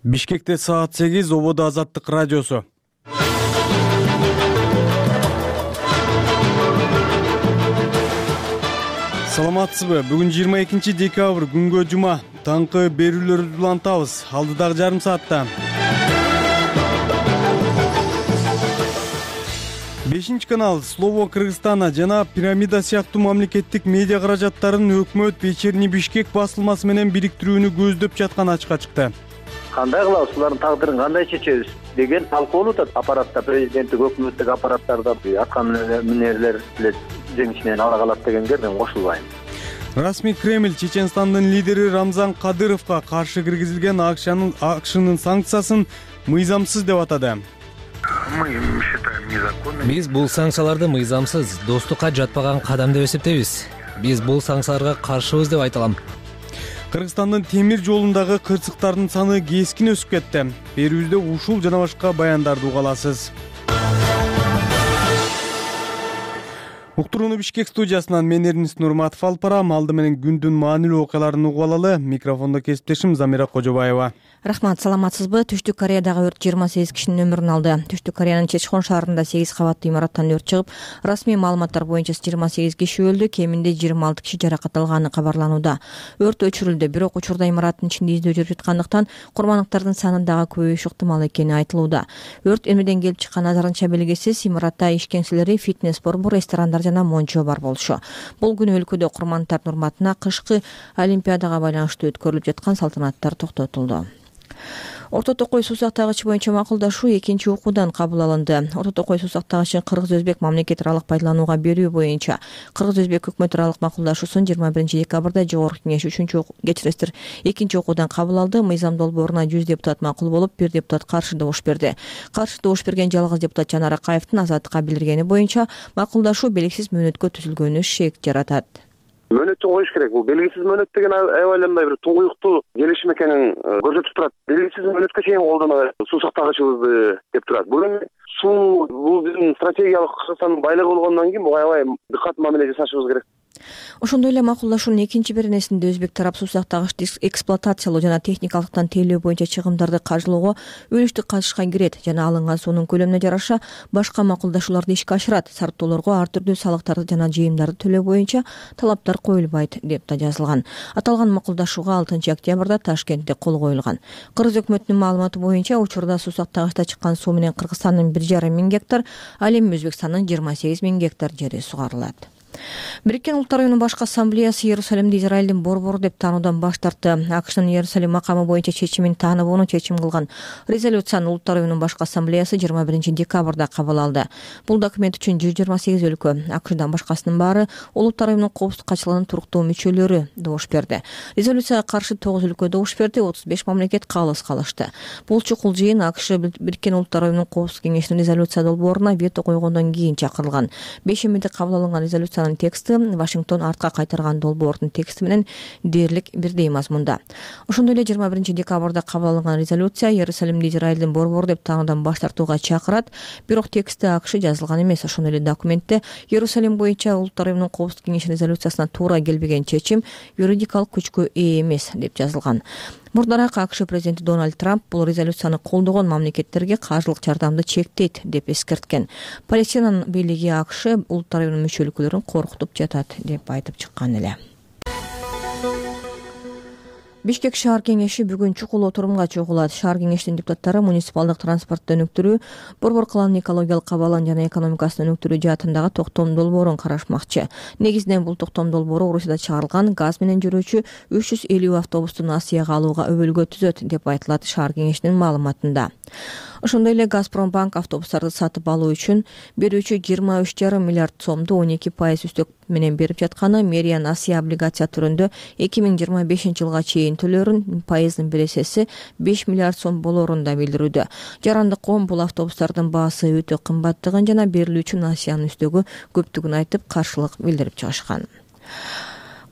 Бишкекте саат 8 ободо Азаттык радиосу. Саламатсызбы? Бүгүн 22 декабрь күнгө жума. Таңкы берүүлөрдү улантабыз. Алдыдагы жарым саатта. 5 канал Слово Кыргызстана жана Пирамида сыяктуу мамлекеттик медиа каражаттарын өкмөт Вечерний Бишкек басылмасы менен бириктирүүнү көздөп жатканы ачыкка чыкты. Кандай кылабыз, улардын тагдырын кандай чечебиз деген талкуу өтөт аппаратта, президенттик өкмөттүк аппараттарда аткан мынерлер жеңишинен ала калат дегенге мен кошулбайм. Расмий Кремль Чеченстандын лидери Рамзан Кадыровго каршы киргизилген акшнын санкциясын мыйзамсыз деп атады. Мы считаем незаконным. Биз бул санкцияларды мыйзамсыз, достукка жатпаган кадам деп эсептейбиз. Биз бул санкцияларга каршыбыз деп айта алам. Кыргызстандын темир жолундагы кырсыктардын саны кескин өсүп кетти. Берүүбүздө ушул жана башка баяндарды уга аласыз. Уктурууну Бишкек студиясынан мен Эрнис Нурматов алып барам. Алды менен күндүн маанилүү окуяларын угуп алалы. Микрофондо кесиптешим Замира Кожобаева. Рахмат, саламатсызбы? Түштүк Кореядагы өрт 28 кишинин өмүрүн алды. Түштүк Кореянын Чечхон шаарында 8 кабаттуу имараттан өрт чыгып, расмий маалыматтар боюнча 28 киши өлдү, кеминде 26 киши жаракат алганы кабарланууда. Өрт өчүрүлдү, бирок учурда имараттын ичинде издөө жүрүп жаткандыктан курмандыктардын саны дагы көбөйүшү ыктымал экени айтылууда. Өрт эмнеден келип чыкканы азырынча белгисиз. Имаратта иш кеңселери, фитнес-борбор, ресторандар жана мончо бар болчу. Бул күнү өлкөдө курмандыктардын урматына кышкы олимпиадага байланыштуу өткөрүлүп жаткан салтанаттар токтотулду. Орто Токой суу сактагычы боюнча макулдашуу экинчи окуудан кабыл алынды. Орто Токой суу сактагычын кыргыз-өзбек мамлекет аралык пайдаланууга берүү боюнча кыргыз-өзбек өкмөт аралык макулдашуусун 21 декабрда жогорку кеңеш экинчи окуудан кабыл алды. Мыйзам долбооруна 100 депутат макул болуп, 1 депутат каршы добуш берди. Каршы добуш берген жалгыз депутат Жанар Акаевдин Азаттыкка билдиргени боюнча макулдашуу белгисиз мөөнөткө түзүлгөнү шек жаратат. Мөөнөттү коюш керек. Бул белгисиз мөөнөт деген аябай бир туңгуюктуу келишим экенин көрсөтүп турат. Белгисиз мөөнөткө чейин колдонобойт, суу сактагычыбызды деп турат. Бул биздин стратегиялык Кыргызстандын байлыгы болгондон кийин бул аябай дыкат мамиле жасашыбыз керек. Ошондой эле макулдашуунун экинчи беренесинде өзбек тарап суу сактагычты эксплуатациялоо жана техникалыктан тейлөө боюнча чыгымдарды каржылоого үлүштүк катышкан кирет жана алынган суунун көлөмүнө жараша башка макулдашууларды ишке ашырат. Сарптоолорго ар түрдүү салыктарды жана жыйымдарды төлөө боюнча талаптар коюлбайт деп да жазылган. Аталган макулдашууга 6 октябрда Ташкентте кол коюлган. Кыргыз өкмөтүнүн маалыматы боюнча учурда суу сактагычта чыккан суу менен Кыргызстандын 1,5 миң гектар, ал эми Өзбекстандын 28 миң гектар жери сугарылат. Бириккен Улуттар Уюмунун башкы ассамблеясы Иерусалимди Израилдин борбору деп таануудан баш тартты. АКШнын Иерусалим макамы боюнча чечимин тааныбоону чечим кылган резолюцияны Улуттар Уюмунун башкы ассамблеясы 21 декабрда кабыл алды. Бул документ үчүн 128 өлкө, АКШдан башкасынын баары Улуттар Уюмунун коопсуздук катчылыгынын туруктуу мүчөлөрү добуш берди. Резолюцияга каршы 9 өлкө добуш берди, 35 мамлекет калыс калышты. Бул чукул жыйын АКШ Бириккен Улуттар Уюмунун коопсуздук кеңешинин резолюция долбооруна вето койгондон кийин чакырылган. Бешембиде кабыл алынган резолюциянын тексти Вашингтон артка кайтарган долбоордун тексти менен дээрлик бирдей мазмунда. Ошондой эле 21 декабрда кабыл алынган резолюция Иерусалимди Израилдин борбору деп таануудан баш тартууга чакырат, бирок тексти АКШ жазылган эмес. Ошондой эле документте Иерусалим боюнча Улуттар Уюмунун коопсуздук кеңешинин резолюциясына туура келбеген чечим юридикалык күчкө ээ эмес деп жазылган. Мурдараак АКШ президенти Дональд Трамп бул резолюцияны колдогон мамлекеттерге каржылык жардамды чектейт деп эскерткен. Палестинанын бийлиги АКШ Улуттар Уюмунун мүчө өлкөлөрүн коркутуп жатат деп айтып чыккан эле. Бишкек шаар кеңеши бүгүн чукул отурумга чогулат. Шаар кеңешинин депутаттары муниципалдык транспортты өнүктүрүү, борбор калаанын экологиялык абалын жана экономикасын өнүктүрүү жаатындагы токтом долбоорун карашмакчы. Негизинен бул токтом долбоору Орусияда чыгарылган газ менен жүрүүчү 350 автобусту Асияга алууга өбөлгө түзөт деп айтылат шаар кеңешинин маалыматында. Ошондой эле Газпромбанк автобустарды сатып алуу үчүн берүүчү 23,5 миллиард сомду 12% үстөк менен берип жатканы, мэриянын Асия облигация түрүндө 2025 жылга чейин төлөөрүн пайыздын бересеси 5 миллиард сом болоорун да билдирүүдө. Жарандык коом бул автобустардын баасы өтө кымбаттыгын жана берилүүчү Асиянын үстөгү көптүгүн айтып каршылык билдирип чыгышкан.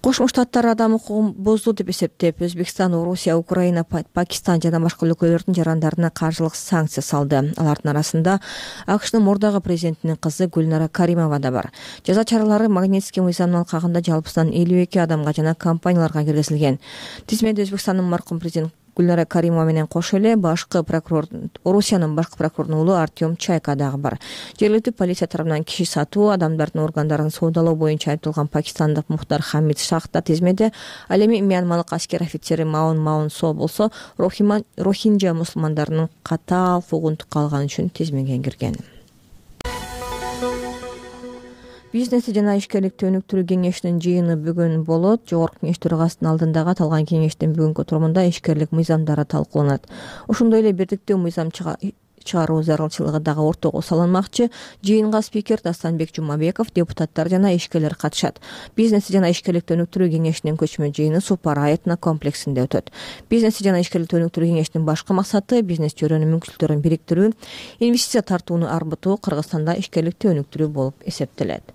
Кошмо Штаттар адам укугун бозду деп эсептеп, Өзбекстан, Орусия, Украина, Пакистан жана башка өлкөлөрдүн жарандарына каржылык санкция салды. Алардын арасында АКШнын мурдагы президентинин кызы Гүлнара Каримова да бар. Жаза чаралары Магнитский мыйзамынын алкагында жалпысынан 52 адамга жана компанияларга киргизилген. Тизмеде Өзбекстандын маркум президент Гүлнара Каримова менен кошо эле Орусиянын башкы прокурорунун уулу Артем Чайка дагы бар. Жергиликтүү полиция тарабынан киши сатуу, адамдардын органдарын соодалоо боюнча айыпталган пакистандык Мухтар Хамид Шах да тизмеде. Ал эми Мьянмалык аскер офицери Маун Со болсо рохинжа мусулмандарынын катаал куугунтукка алганы үчүн тизмеге кирген. Бизнес жана ишкерликти өнүктүрүү кеңешинин жыйыны бүгүн болот. Жогорку кеңеш төрагасынын алдындагы аталган кеңештин бүгүнкү отурумунда ишкерлик мыйзамдары талкууланат. Ошондой эле бирдиктүү мыйзам чыгаруу зарылчылыгы дагы ортого салынмакчы. Жыйынга спикер Дастанбек Жумабеков, депутаттар жана ишкерлер катышат. Бизнес жана ишкерликти өнүктүрүү кеңешинин көчмө жыйыны Супара этно комплексинде өтөт. Бизнес жана ишкерликти өнүктүрүү кеңешинин башкы максаты бизнес чөйрөнүн мүмкүнчүлүктөрүн бириктирүү, инвестиция тартууну арбытуу, Кыргызстанда ишкерликти өнүктүрүү болуп эсептелет.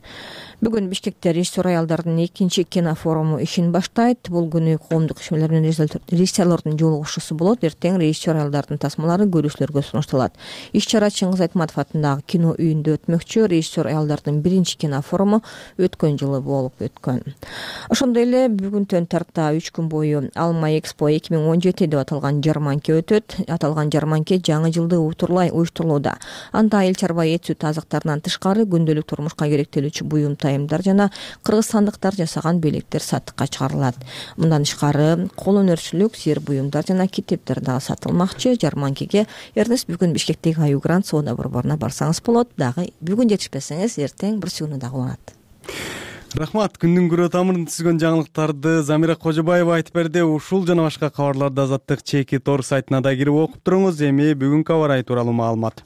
Бүгүн Бишкекте режиссер аялдардын 2-чи кинофоруму ишин баштайт. Бул күнү коомдук ишмерлер менен режиссерлордун жолугушуусу болот. Эртең режиссер аялдардын тасмалары көрүүчүлөргө сунушталат. Иш-чара Чыңгыз Айтматов атындагы кино үйүндө өтмөкчү. Режиссер аялдардын 1-чи кинофоруму өткөн жылы болуп өткөн. Ошондой эле бүгүнтөн тарта 3 күн бою Алма Экспо 2017 деп аталган жарманке өтөт. Аталган жарманке жаңы жылды утурлай уюштурулууда. Анда айыл чарба эт сүт азыктарынан тышкары күндөлүк турмушка керектелүүчү буюм тайымдар жана кыргызстандыктар жасаган белектер сатыкка чыгарылат. Мындан тышкары кол өнөрчүлүк, сер буюмдар жана китептер дагы сатылмакчы. Жарманкеге Эрнест бүгүн Бишкектеги Аю Грант соода борборуна барсаңыз болот. Дагы бүгүн жетишпесеңиз, эртең бир сүйүүнү дагы уланат. Рахмат. Күндүн күрөө тамырын түзгөн жаңылыктарды Замира Кожобаева айтып берди. Ушул жана башка кабарларды Азаттык чеки тор сайтына да кирип окуп туруңуз. Эми бүгүнкү аба ырайы тууралуу маалымат.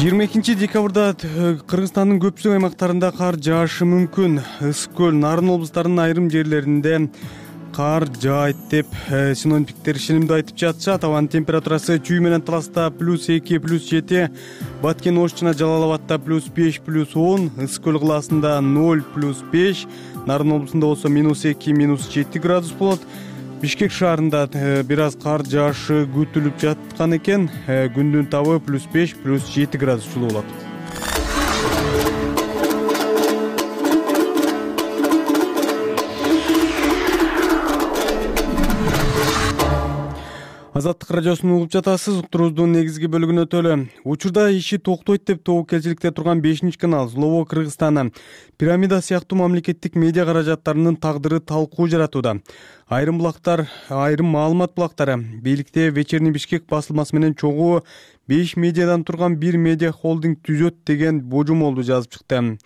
22 декабрда Кыргызстандын көпчүлүк аймактарында кар жаашы мүмкүн. Ысык көл, Нарын облустарынын айрым жерлеринде кар жаайт деп синоптиктер ишенимдүү айтып жатышат. Абанын температурасы Чүй менен Таласта +2, +7, Баткен, Ош жана Жалал Абадта +5, +10, Ысык көл кылаасында 0, +5, Нарын облусунда болсо -2, -7 градус болот. Бишкек шаарында бир аз кар жаашы күтүлүп жаткан экен. Күндүн табы +5, +7 градус жылуу болот. Азаттык радиосун угуп жатасыз. Уктуруубуздун негизги бөлүгүнө өтөлү. Учурда иши токтойт деп тобокелчиликте турган 5-чи канал Слово Кыргызстана Пирамида сыяктуу мамлекеттик медиа каражаттарынын тагдыры талкуу жаратууда. Айрым маалымат булактары бийликте Вечерний Бишкек басылмасы менен чогуу 5 медиадан турган бир медиа холдинг түзөт деген божомолду жазып чыкты.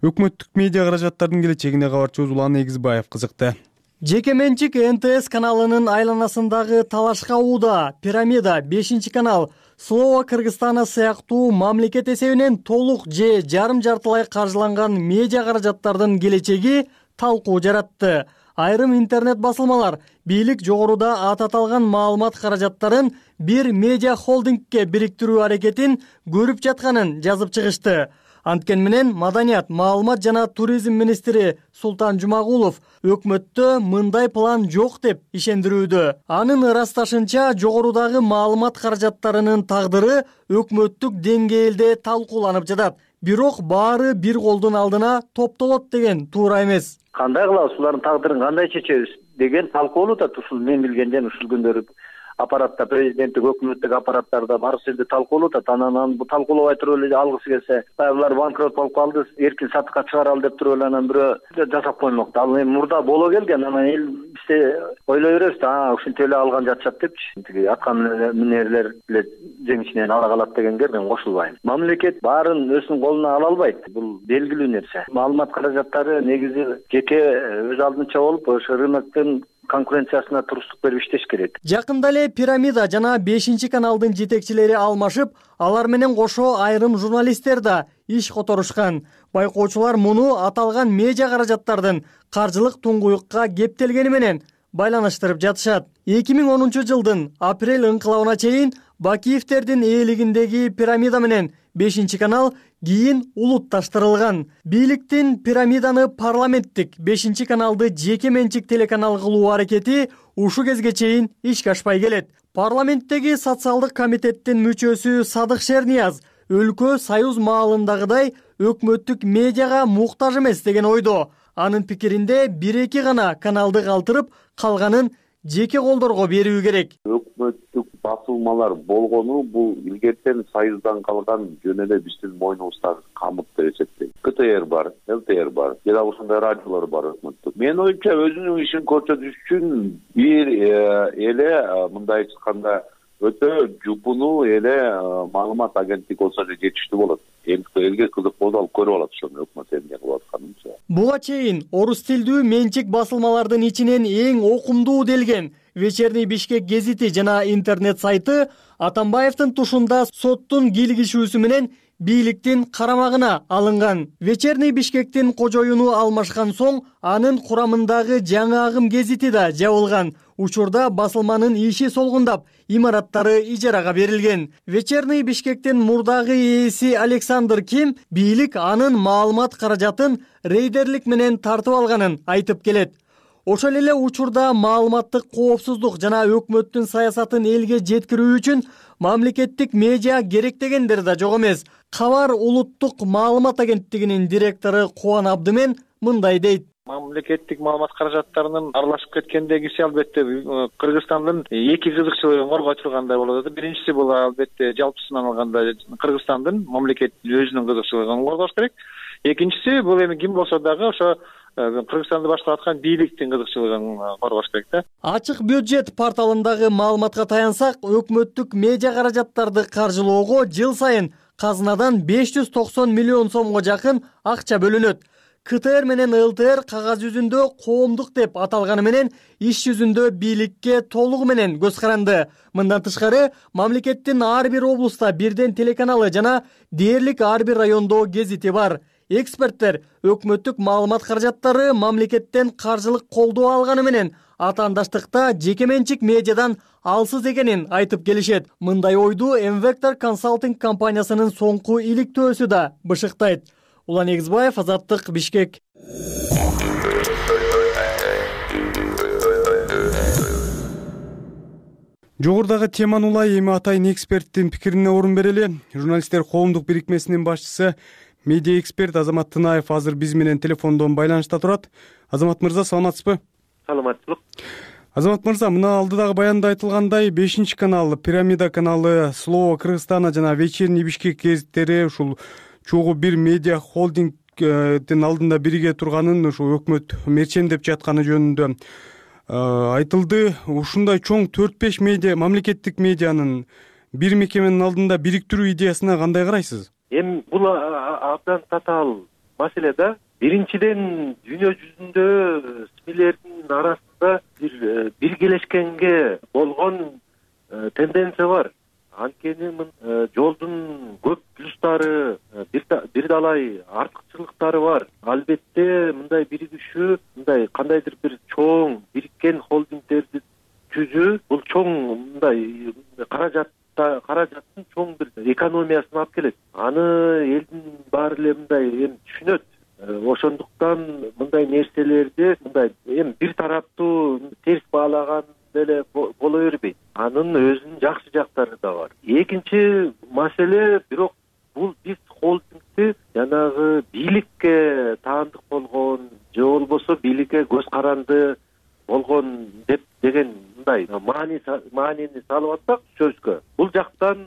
Өкмөттүк медиа каражаттардын келечегине кабарчыбыз Улан Эгизбаев кызыкты. Жеке менчик НТС каналынын айланасындагы талашка ууда Пирамида 5-чи канал Слово Кыргызстана сыяктуу мамлекет эсебинен толук же жарым-жартылай каржыланган медиа каражаттардын келечеги талкуу жаратты. Айрым интернет басылмалар бийлик жогоруда аты аталган маалымат каражаттарын бир медиа холдингке бириктирүү аракетин көрүп жатканын жазып чыгышты. Анткен менен Маданият, маалымат жана туризм министри Султан Жумагулов өкмөттө мындай план жок деп ишендирүүдө. Анын ырасташынча жогорудагы маалымат каражаттарынын тагдыры өкмөттүк деңгээлде талкууланып жатат. Бирок баары бир колдун алдына топтолот деген туура эмес. Кандай кылабыз, булардын тагдырын кандай чечебиз деген талкуулуу да ушул мен билгенден ушул күндөрү аппаратта, президенттик өкмөттүк аппараттарда барысы жерде талкуулуу да. Анан бул талкуулабай туруп эле алгысы келсе, булар банкрот болуп калды, эркин сатыкка чыгаралы деп туруп эле анан бирөө жасап коймокта. Ал эми мурда боло келген, анан эл бизде ойлой беребиз да, ушинтип эле алган жатышат депчи. Тиги аткан минерлер эле жеңишинен ала калат дегенге мен кошулбайм. Мамлекет баарын өзүнүн колуна ала албайт. Бул белгилүү нерсе. Маалымат каражаттары негизи жеке өз алдынча болуп, ошо рыноктун конкуренциясына туруштук берип иштеш керек. Жакында эле Пирамида жана 5-чи каналдын жетекчилери алмашып, алар менен кошо айрым журналисттер да иш которушкан. Байкоочулар муну аталган медиа каражаттардын каржылык туңгуюкка кептелгени менен байланыштырып жатышат. 2010 жылдын апрель ыңкылабына чейин Бакиевтердин ээлигиндеги Пирамида менен 5-чи канал кийин улутташтырылган. Бийликтин Пирамиданы парламенттик 5-чи каналды жеке менчик телеканал кылуу аракети ушу кезге чейин ишке ашпай келет. Парламенттеги социалдык комитеттин мүчөсү Садык Шернияз өлкө союз маалындагыдай өкмөттүк медиага муктаж эмес деген ойдо. Анын пикиринде 1-2 гана каналды калтырып, калганын жеке колдорго берүү керек. Өкмөттүк басылмалар болгону бул илгертен Союздан калган жөн эле биздин мойнубуздагы камыт деп эсептейм. КТР бар, ЛТР бар, же дагы ушундай радиолор бар өкмөттүк. Менин оюмча өзүнүн ишин көрсөтүш үчүн бир эле мындай айтканда өтө жупунуу эле маалымат агенттиги болсо жетиштүү болот. Элге кызык болсо ал көрүп алат ошону өкмөт эмне кылып атканын. Буга чейин орус тилдүү менчик басылмалардын ичинен эң окумдуу делген Вечерний Бишкек гезити жана интернет сайты Атамбаевдин тушунда соттун кийлигишүүсү менен бийликтин карамагына алынган. Вечерний Бишкектин кожоюну алмашкан соң анын курамындагы жаңы агым гезити да жабылган. Учурда басылманын иши солгундап, имараттары ижарага берилген. Вечерний Бишкектин мурдагы ээси Александр Ким бийлик анын маалымат каражатын рейдерлик менен тартып алганын айтып келет. Ошол эле учурда маалыматтык коопсуздук жана өкмөттүн саясатын элге жеткирүү үчүн мамлекеттик медиа керек дегендер да жок эмес. Кабар улуттук маалымат агенттигинин директору Кубан Абдымен мындай дейт. Мамлекеттик маалымат каражаттарынын аралашып кеткендегиси албетте Кыргызстандын эки кызыкчылыгын коргой тургандай болот. Биринчиси бул албетте жалпысынан алганда Кыргызстандын мамлекет өзүнүн кызыкчылыгын коргош керек. Экинчиси бул эми ким болсо дагы ошо Кыргызстанды баштап аткан бийликтин кызыкчылыгын коргош керек да. Ачык бюджет порталындагы маалыматка таянсак, өкмөттүк медиа каражаттарды каржылоого жыл сайын казынадан 590 миллион сомго жакын акча бөлүнөт. КТР менен ЛТР кагаз жүзүндө коомдук деп аталганы менен иш жүзүндө бийликке толугу менен көз каранды. Мындан тышкары мамлекеттин ар бир облуста бирден телеканалы жана дээрлик ар бир райондо гезити бар. Эксперттер өкмөттүк маалымат каражаттары мамлекеттен каржылык колдоо алганы менен атаандаштыкта жеке менчик медиадан алсыз экенин айтып келишет. Мындай ойду M-Vector консалтинг компаниясынын соңку иликтөөсү да бышыктайт. Улан Эгизбаев, Азаттык, Бишкек. Жогорудагы теманы улай эми атайын эксперттин пикирине орун берели. Журналисттер коомдук бирикмесинин башчысы медиа эксперт Азамат Тынаев азыр биз менен телефондон байланышта турат. Азамат мырза, саламатсызбы? Саламатчылык. Азамат мырза, мына алдыдагы баянда айтылгандай 5-канал, Пирамида каналы, Слово Кыргызстана жана Вечерний Бишкек гезиттери ушул чогуу бир медиа холдингдин алдында бирге турганын ушу өкмөт мерчемдеп жатканы жөнүндө айтылды. Ушундай чоң 4-5 медиа, мамлекеттик медианын бир мекеменин алдында бириктирүү идеясына кандай карайсыз? Эми бул абдан татаал маселе да. Биринчиден дүйнө жүзүндө СМИлердин арасында биргелешкенге болгон тенденция бар. Анткени жолдун көп плюстары, бир далай артыкчылыктары бар. Албетте мындай биригишүү, мындай кандайдыр бир чоң бириккен холдингдерди түзүү, бул чоң мындай каражаттын чоң бир экономиясын алып келет. Аны элдин баары эле мындай эми түшүнөт. Ошондуктан мындай нерселерди мындай эми бир тараптуу терс баалаган деле боло бербейт. Анын өзүнүн жакшы жактары да бар. Экинчи маселе, бирок бул биз холдингди жанагы бийликке таандык болгон же болбосо бийликке көз каранды болгон деген мындай маанини салып атсак сөзгө, бул жактан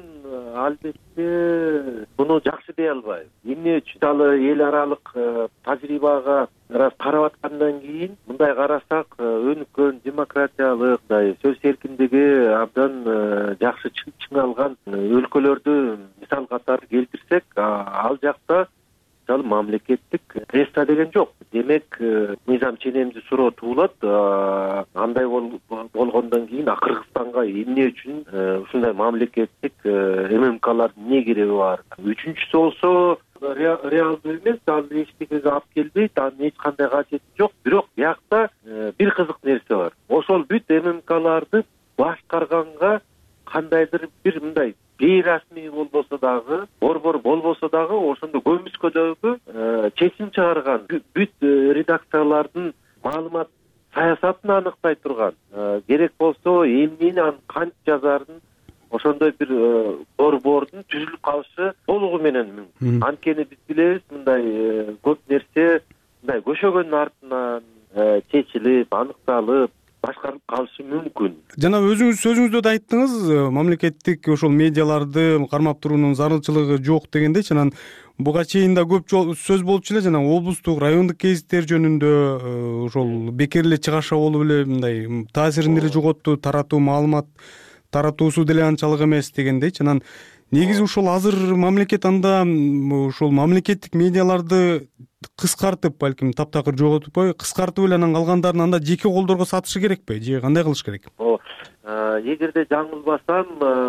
албетте буну жакшы дей албайбыз. Эмне үчүн эл аралык тажрыйбага карап аткандан кийин мындай карасак, өнүккөн демократиялык, сөз эркиндиги абдан жакшы чыңалган өлкөлөрдү мисал катары келтирсек, ал жакта мамлекеттик пресса деген жок. Демек, мыйзам ченемди суроо туулат. Андай болгондон кийин Кыргызстанга эмне үчүн ушундай мамлекеттик ММКлар эмне кереги бар? Үчүнчүсү болсо реалдуу эмес, ал эчтекеге алып келбейт, анын эч кандай кажети жок. Бирок биякта бир кызык нерсе бар. Ошол бүт ММКларды башкарганга кандайдыр бир мындай бейрасмий болбосо дагы, борбор болбосо дагы, ошондо көмүскөдөгү чечим чыгарган бүт редакциялардын маалымат саясатын аныктай турган, керек болсо эмнени анын кантип жазарын, ошондой бир борбордун түзүлүп калышы толугу менен мүмкүн. Анткени биз билебиз, мындай көп нерсе мындай көшөгөндүн артынан чечилип аныкталып башкарылып калышы мүмкүн. Жана өзүңүз сөзүңүздө да айттыңыз, мамлекеттик ошол медиаларды кармап туруунун зарылчылыгы жок дегендечи. Анан буга чейин да көп сөз болчу эле, жана облустук, райондук гезиттер жөнүндө ошол бекер эле чыгаша болуп эле мындай таасирин деле жоготту, таратуу маалымат таратуусу деле анчалык эмес дегендейчи. Анан негизи ушул азыр мамлекет анда ушул мамлекеттик медиаларды кыскартып, балким таптакыр жоготпой кыскартып эле анан калгандарын анда жеке колдорго сатышы керекпи же кандай кылыш керек? Эгерде жаңылбасам,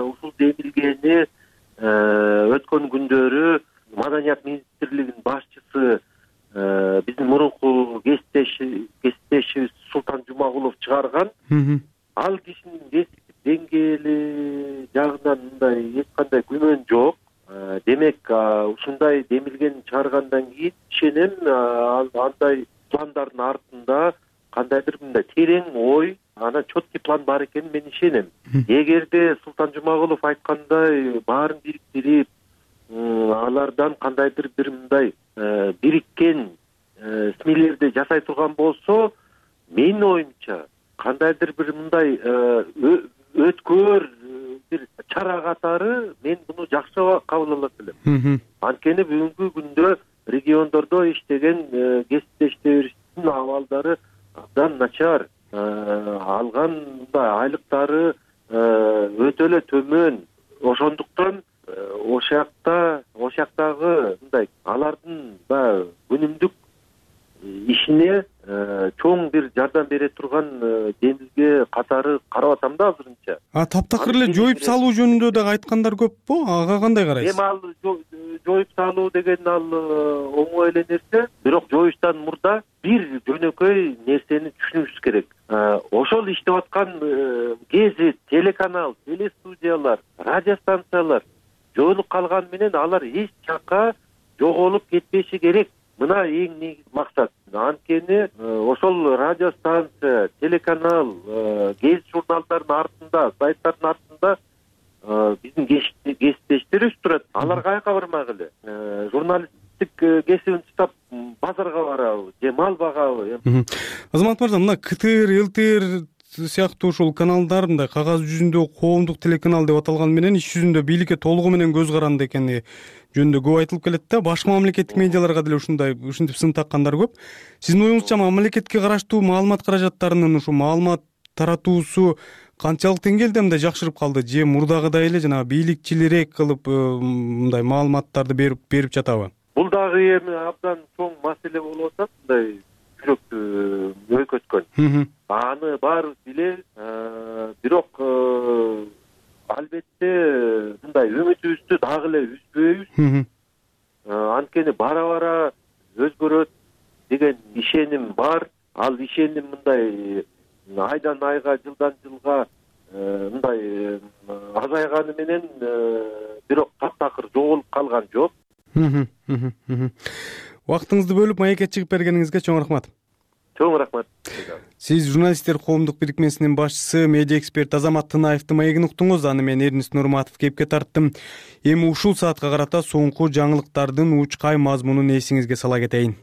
ушул демилгени өткөн күндөрү Маданият министрлигинин башчысы биздин мурунку кесиптешибиз Султан Жумагулов чыгарган. Ал кишинин кесиптик деңгээли жагынан мындай эч кандай күмөн жок. Демек, ушундай демилгени чыгаргандан кийин ишенем, андай пландардын артында кандайдыр мындай терең ой, анан четкий план бар экенин мен ишенем. Эгерде Султан Жумагулов айткандай баарын бириктирип, алардан кандайдыр бир мындай бириккен СМИлерди жасай турган болсо, менин оюмча кандайдыр бир мындай өткөр бир чара катары мен буну жакшы кабыл алат элем. Анткени бүгүнкү күндө региондордо иштеген кесиптештерибиздин абалдары абдан начар. Алган айлыктары өтө эле төмөн. Ошондуктан ошяктагы мындай алардын күнүмдүк ишине чоң бир жардам бере турган демилге катары карап атам да азырынча. Таптакыр эле жоюп салуу жөнүндө дагы айткандар көппү? Ага кандай карайсыз? Эми ал жоюп салуу деген ал оңой эле нерсе, бирок жоюштан мурда бир жөнөкөй нерсени түшүнүшүбүз керек. Ошол иштеп аткан гезит, телеканал, телестудиялар, радиостанциялар жоюлуп калган менен алар эч жакка жоголуп кетпеши керек. Мына эң негизи максат. Анткени ошол радиостанция, телеканал, гезит журналдардын артында, сайттардын артында биздин кесиптештерибиз турат. Алар каяка бармак эле? Журналисттик кесибин тутап базарга барабы же мал багабы? Азамат мырза, мына КТР, ЛТР сыяктуу ушул каналдар мындай кагаз жүзүндө коомдук телеканал деп аталган менен иш жүзүндө бийликке толугу менен көз каранды экени жөнүндө көп айтылып келет да. Башка мамлекеттик медиаларга деле ушинтип сын таккандар көп. Сиздин оюңузча мамлекетке караштуу маалымат каражаттарынын ушу маалымат таратуусу канчалык деңгээлде мындай жакшырып калды же мурдагыдай эле жанагы бийликчилирээк кылып мындай маалыматтарды берип жатабы? Бул дагы эми абдан чоң маселе болуп атат, мындай жүрөктү өйкөткөн. Аны баарыбыз билебиз, бирок албетте мындай үмүтүбүздү дагы эле үзбөйбүз. Анткени бара өзгөрөт деген ишеним бар. Ал ишеним мындай айдан айга, жылдан жылга мындай азайганы менен бирок таптакыр жоголуп калган жок. Убактыңызды бөлүп маекке чыгып бергениңизге чоң рахмат. Чоң рахмат. Сиз журналисттер коомдук бирикмесинин башчысы, медиа эксперт Азамат Тынаевдин маегин уктуңуз. Аны мен Эрнис Нурматов кепке тарттым. Эми ушул саатка карата соңку жаңылыктардын учкай мазмунун эсиңизге сала кетейин.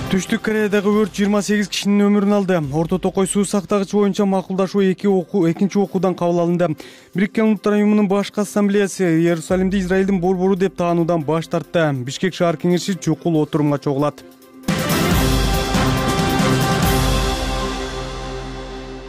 Түштүк Кореядагы өрт 28 кишинин өмүрүн алды. Орто Токой суу сактагыч боюнча макулдашуу экинчи окуудан кабыл алынды. Бириккен Улуттар уюмунун башкы ассамблеясы Иерусалимди Израилдин борбору деп таануудан баш тартты. Бишкек шаар кеңеши чукул отурумга чогулат.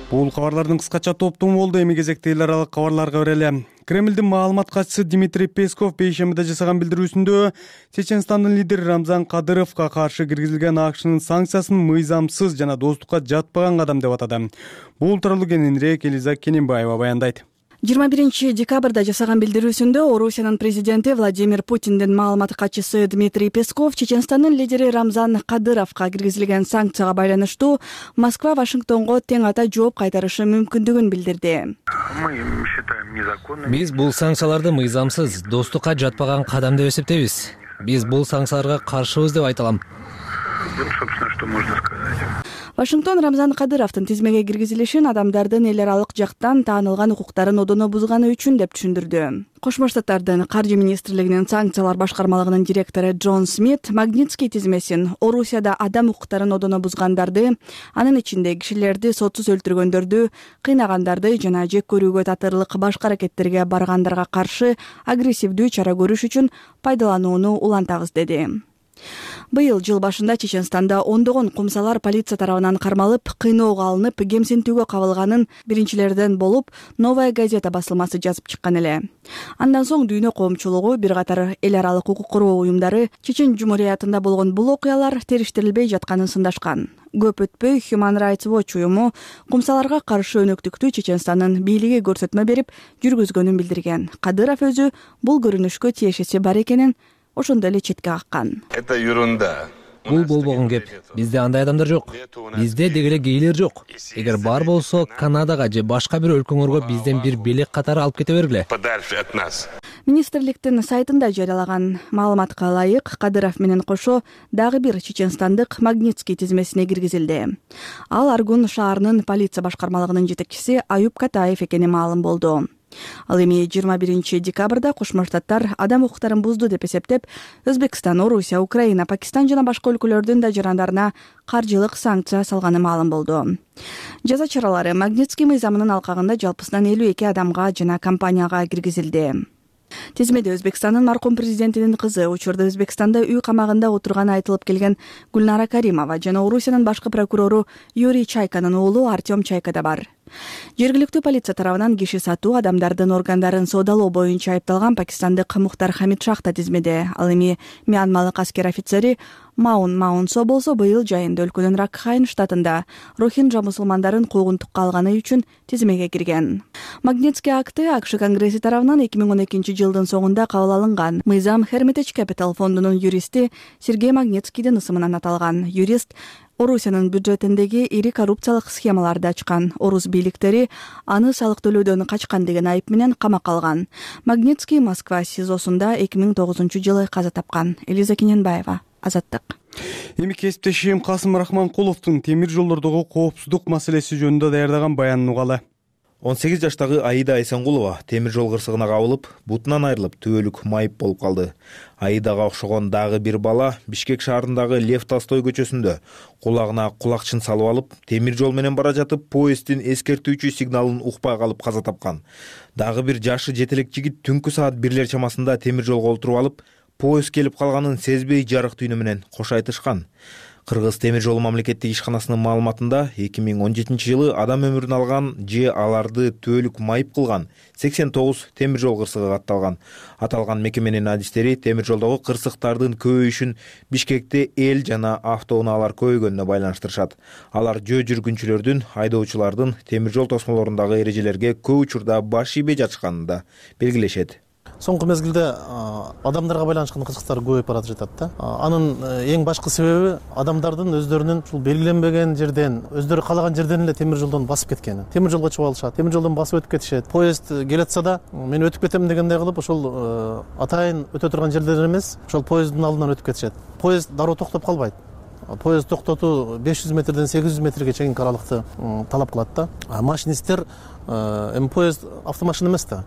Бул кабарлардын кыскача топтому болду. Эми кезекте эл аралык кабарларга берели. Кремлдин маалымат катчысы Дмитрий Песков бейшембиде жасаган билдирүүсүндө Чеченстандын лидери Рамзан Кадыровго каршы киргизилген АКШнын санкциясын мыйзамсыз жана достукка жатпаган кадам деп атады. Бул тууралуу кененирээк Элиза Кененбаева баяндайт. 21 декабрда жасаган билдирүүсүндө Орусиянын президенти Владимир Путиндин маалымат катчысы Дмитрий Песков Чеченстандын лидери Рамзан Кадыровго киргизилген санкцияга байланыштуу Москва Вашингтонго тең ата жооп кайтарышы мүмкүндүгүн билдирди. Биз бул санкцияларды мыйзамсыз, достукка жатпаган кадам деп эсептейбиз. Биз бул санкцияларга каршыбыз деп айта алам. Вашингтон Рамзан Кадыровдун тизмеге киргизилишин адамдардын эл аралык жактан таанылган укуктарын одоно бузганы үчүн деп түшүндүрдү. Кошмо Штаттардын каржы министрлигинин санкциялар башкармалыгынын директору Джон Смит Магнитский тизмесин Орусияда адам укуктарын одоно бузгандарды, анын ичинде кишилерди сотсуз өлтүргөндөрдү, кыйнагандарды жана жек көрүүгө татырлык башка аракеттерге баргандарга каршы агрессивдүү чара көрүш үчүн пайдаланууну улантабыз деди. Быйыл жыл башында Чеченстанда ондогон кумсалар полиция тарабынан кармалып, кыйноого алынып, кемсинтүүгө кабылганын биринчилерден болуп Новая газета басылмасы жазып чыккан эле. Андан соң дүйнө коомчулугу, бир катар эл аралык укук коргоо уюмдары Чечен Жумуриятында болгон бул окуялар териштирилбей жатканын сындашкан. Көп өтпөй Human Rights Watch уюму кумсаларга каршы өнөктүктү Чеченстандын бийлиги көрсөтмө берип жүргүзгөнүн билдирген. Кадыров өзү бул көрүнүшкө тиешеси бар экенин ошондо эле четке каккан. Это ерунда. Бул болбогон кеп. Бизде андай адамдар жок. Бизде деги эле гейлер жок. Эгер бар болсо, Канадага же башка бир өлкөңөргө бизден бир белек катары алып кете бергиле. Подальше от нас. Министрликтин сайтында жарыялаган маалыматка ылайык, Кадыров менен кошо дагы бир чеченстандык Магнитский тизмесине киргизилди. Ал Аргун шаарынын полиция башкармалыгынын жетекчиси Аюп Катаев экени маалым болду. Ал эми 21 декабрда Кошмо Штаттар адам укуктарын бузду деп эсептеп, Өзбекстан, Орусия, Украина, Пакистан жана башка өлкөлөрдүн да жарандарына каржылык санкция салганы маалым болду. Жаза чаралары Магнитский мыйзамынын алкагында жалпысынан 52 адамга жана компанияга киргизилди. Тизмеде Өзбекстандын маркум президентинин кызы, учурда Өзбекстанда үй камагында отурганы айтылып келген Гүлнара Каримова жана Орусиянын башкы прокурору Юрий Чайканын уулу Артем Чайка да бар. Жергиликтүү полиция тарабынан киши сатуу, адамдардын органдарын соодалоо боюнча айыпталган пакистандык Мухтар Хамид Шах да тизмеде. Ал эми Мьянмалык аскер офицери Маунсо болсо быйыл жайында өлкөнүн Ракхайн штатында рохинджа мусулмандарын куугунтукка алганы үчүн тизмеге кирген. Магнитский акты АКШ Конгресси тарабынан 2012 жылдын соңунда кабыл алынган. Мыйзам Hermitage Capital фондунун юристи Сергей Магнитскийдин ысымынан аталган. Юрист Орусиянын бюджетиндеги ири коррупциялык схемаларды ачкан. Орус бийликтери аны салык төлөөдөн качкан деген айып менен камакка алган. Магнитский Москва СИЗОсунда 2009 жылы каза тапкан. Элиза Кененбаева, Азаттык. Эми кесиптешим Касым Рахманкуловдун темир жолдордогу коопсуздук маселеси жөнүндө даярдаган баянын угалы. 18 жаштагы Аида Айсангулова темир жол кырсыгына кабылып, бутунан айрылып, түбөлүк майып болуп калды. Аидага окшогон дагы бир бала Бишкек шаарындагы Лев Толстой көчөсүндө кулагына кулакчын салып алып, темир жол менен бара жатып, поезддин эскертүүчү сигналын укпай калып каза тапкан. Дагы бир жашы жетелек жигит түнкү саат 1 чамасында темир жолго олтуруп алып, поезд келип калганын сезбей жарык түйнү менен кош айтышкан. Кыргыз темир жолу мамлекеттик ишканасынын маалыматында 2017 жылы адам өмүрүн алган же аларды түбөлүк майып кылган 89 темир жол кырсыгы катталган. Аталган мекеменин адистери темир жолдогу кырсыктардын көбөйүшүн Бишкекте эл жана автоунаалар көбөйгөнүнө байланыштырышат. Алар жөө жүргүнчүлөрдүн, айдоочулардын темир жол тосмолорундагы эрежелерге көп учурда баш ийбей жатышканын да белгилешет. Соңку мезгилде адамдарга байланышкан кызыктар көбөйүп баратып жатат да. Анын эң башкы себеби адамдардын өздөрүнүн ушул белгиленбеген жерден, өздөрү каалаган жерден эле темир жолдон басып кеткени. Темир жолго чыгып алышат, темир жолдон басып өтүп кетишет. Поезд келатса да, мен өтүп кетем дегендей кылып, ошол атайын өтө турган жерлер эмес, ошол поезддин алдынан өтүп кетишет. Поезд дароо токтоп калбайт. Поезд токтотуу 500 метрден 800 метрге чейинки аралыкты талап кылат да. Машинисттер эми поезд автомашина эмес да.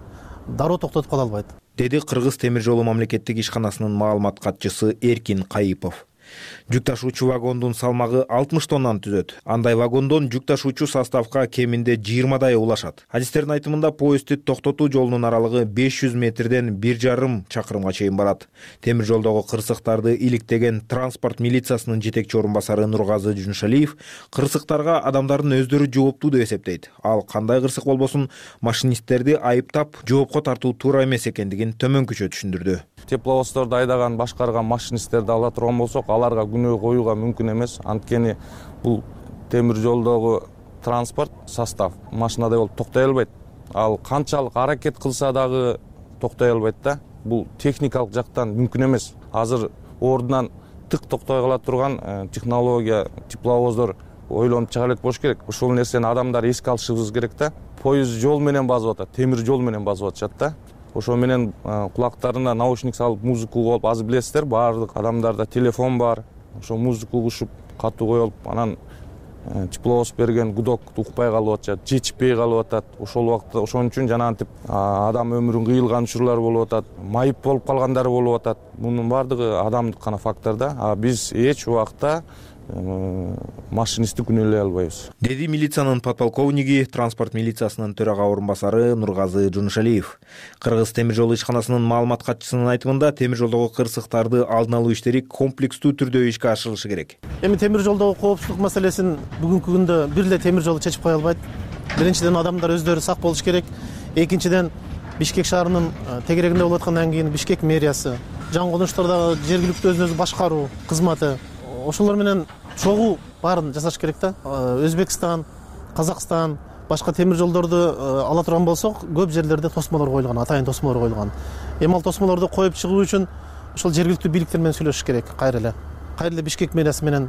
Дароо токтотуп кала албайт, деди Кыргыз темир жолу мамлекеттик ишканасынын маалымат катчысы Эркин Кайыпов. Жүк ташуучу вагондун салмагы 60 тоннаны түзөт. Андай вагондон жүк ташуучу составка кеминде 20 улашат. Адистердин айтымында поездди токтотуу жолунун аралыгы 500 метрден 1,5 чакырымга чейин барат. Темир жолдогу кырсыктарды иликтеген транспорт милициясынын жетекчи орун басары Нургазы Жуншалиев кырсыктарга адамдардын өздөрү жооптуу деп эсептейт. Ал кандай кырсык болбосун машинисттерди айыптап жоопко тартуу туура эмес экендигин төмөнкүчө түшүндүрдү. Тепловоздорду айдаган, башкарган машинисттерди ала турган болсок, аларга күнөө коюуга мүмкүн эмес. Анткени бул темир жолдогу транспорт состав машинадай болуп токтой албайт. Ал канчалык аракет кылса дагы токтой албайт да. Бул техникалык жактан мүмкүн эмес. Азыр ордунан тык токтой кала турган технология, тепловоздор ойлонуп чыга элек болуш керек. Ошол нерсени адамдар эске алышыбыз керек да. Поезд жол менен басып атат, темир жол менен басып атышат да. Ошо менен кулактарына наушник салып музыка угуп, азыр билесиздер, баардык адамдарда телефон бар. Ошо музыка угушуп, катуу коюп, анан тепловоз берген гудок укпай калып атышат, жетишпей калып атат. Ошол убакта ошон үчүн жанагынтип адам өмүрүн кыйылган учурлар болуп атат, майып болуп калгандар болуп атат. Мунун баардыгы адамдык гана фактор да. Биз эч убакта машинистти күнөөлөй албайбыз, деди милициянын подполковниги, транспорт милициясынын төрага орун басары Нургазы Жунушалиев. Кыргыз темир жол ишканасынын маалымат катчысынын айтымында, темир жолдогу кырсыктарды алдын алуу иштери комплекстүү түрдө ишке ашырылышы керек. Эми темир жолдогу коопсуздук маселесин бүгүнкү күндө бир эле темир жол чечип кое албайт. Биринчиден адамдар өздөрү сак болуш керек. Экинчиден Бишкек шаарынын тегерегинде болуп аткандан кийин Бишкек мэриясы, жаңы конуштардагы жергиликтүү өзүн өзү башкаруу кызматы, ошолор менен чогуу баарын жасаш керек да. Өзбекстан, Казакстан, башка темир жолдорду ала турган болсок, көп жерлерде тосмолор коюлган, атайын тосмолор коюлган. Эми ал тосмолорду коюп чыгуу үчүн ошол жергиликтүү бийликтер менен сүйлөшүш керек. Кайра эле Бишкек мэриясы менен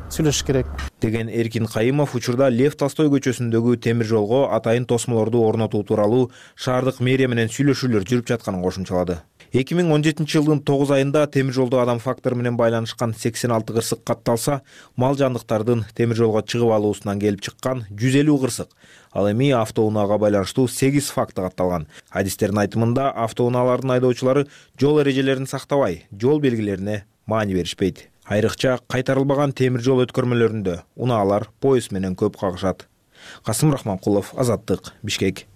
сүйлөшүш керек деген Эркин Кайымов учурда Лев Толстой көчөсүндөгү темир жолго атайын тосмолорду орнотуу тууралуу шаардык мэрия менен сүйлөшүүлөр жүрүп жатканын кошумчалады. 2017 жылдын 9 айында темир жолдо адам фактору менен байланышкан 86 кырсык катталса, мал жандыктардын темир жолго чыгып алуусунан келип чыккан 150 кырсык. Ал эми автоунаага байланыштуу 8 факты катталган. Адистердин айтымында, автоунаалардын айдоочулары жол эрежелерин сактабай, жол белгилерине маани беришпейт. Айрыкча кайтарылбаган темир жол өткөрмөлөрүндө унаалар поезд менен көп кагышат. Касым Рахманкулов, Азаттык, Бишкек.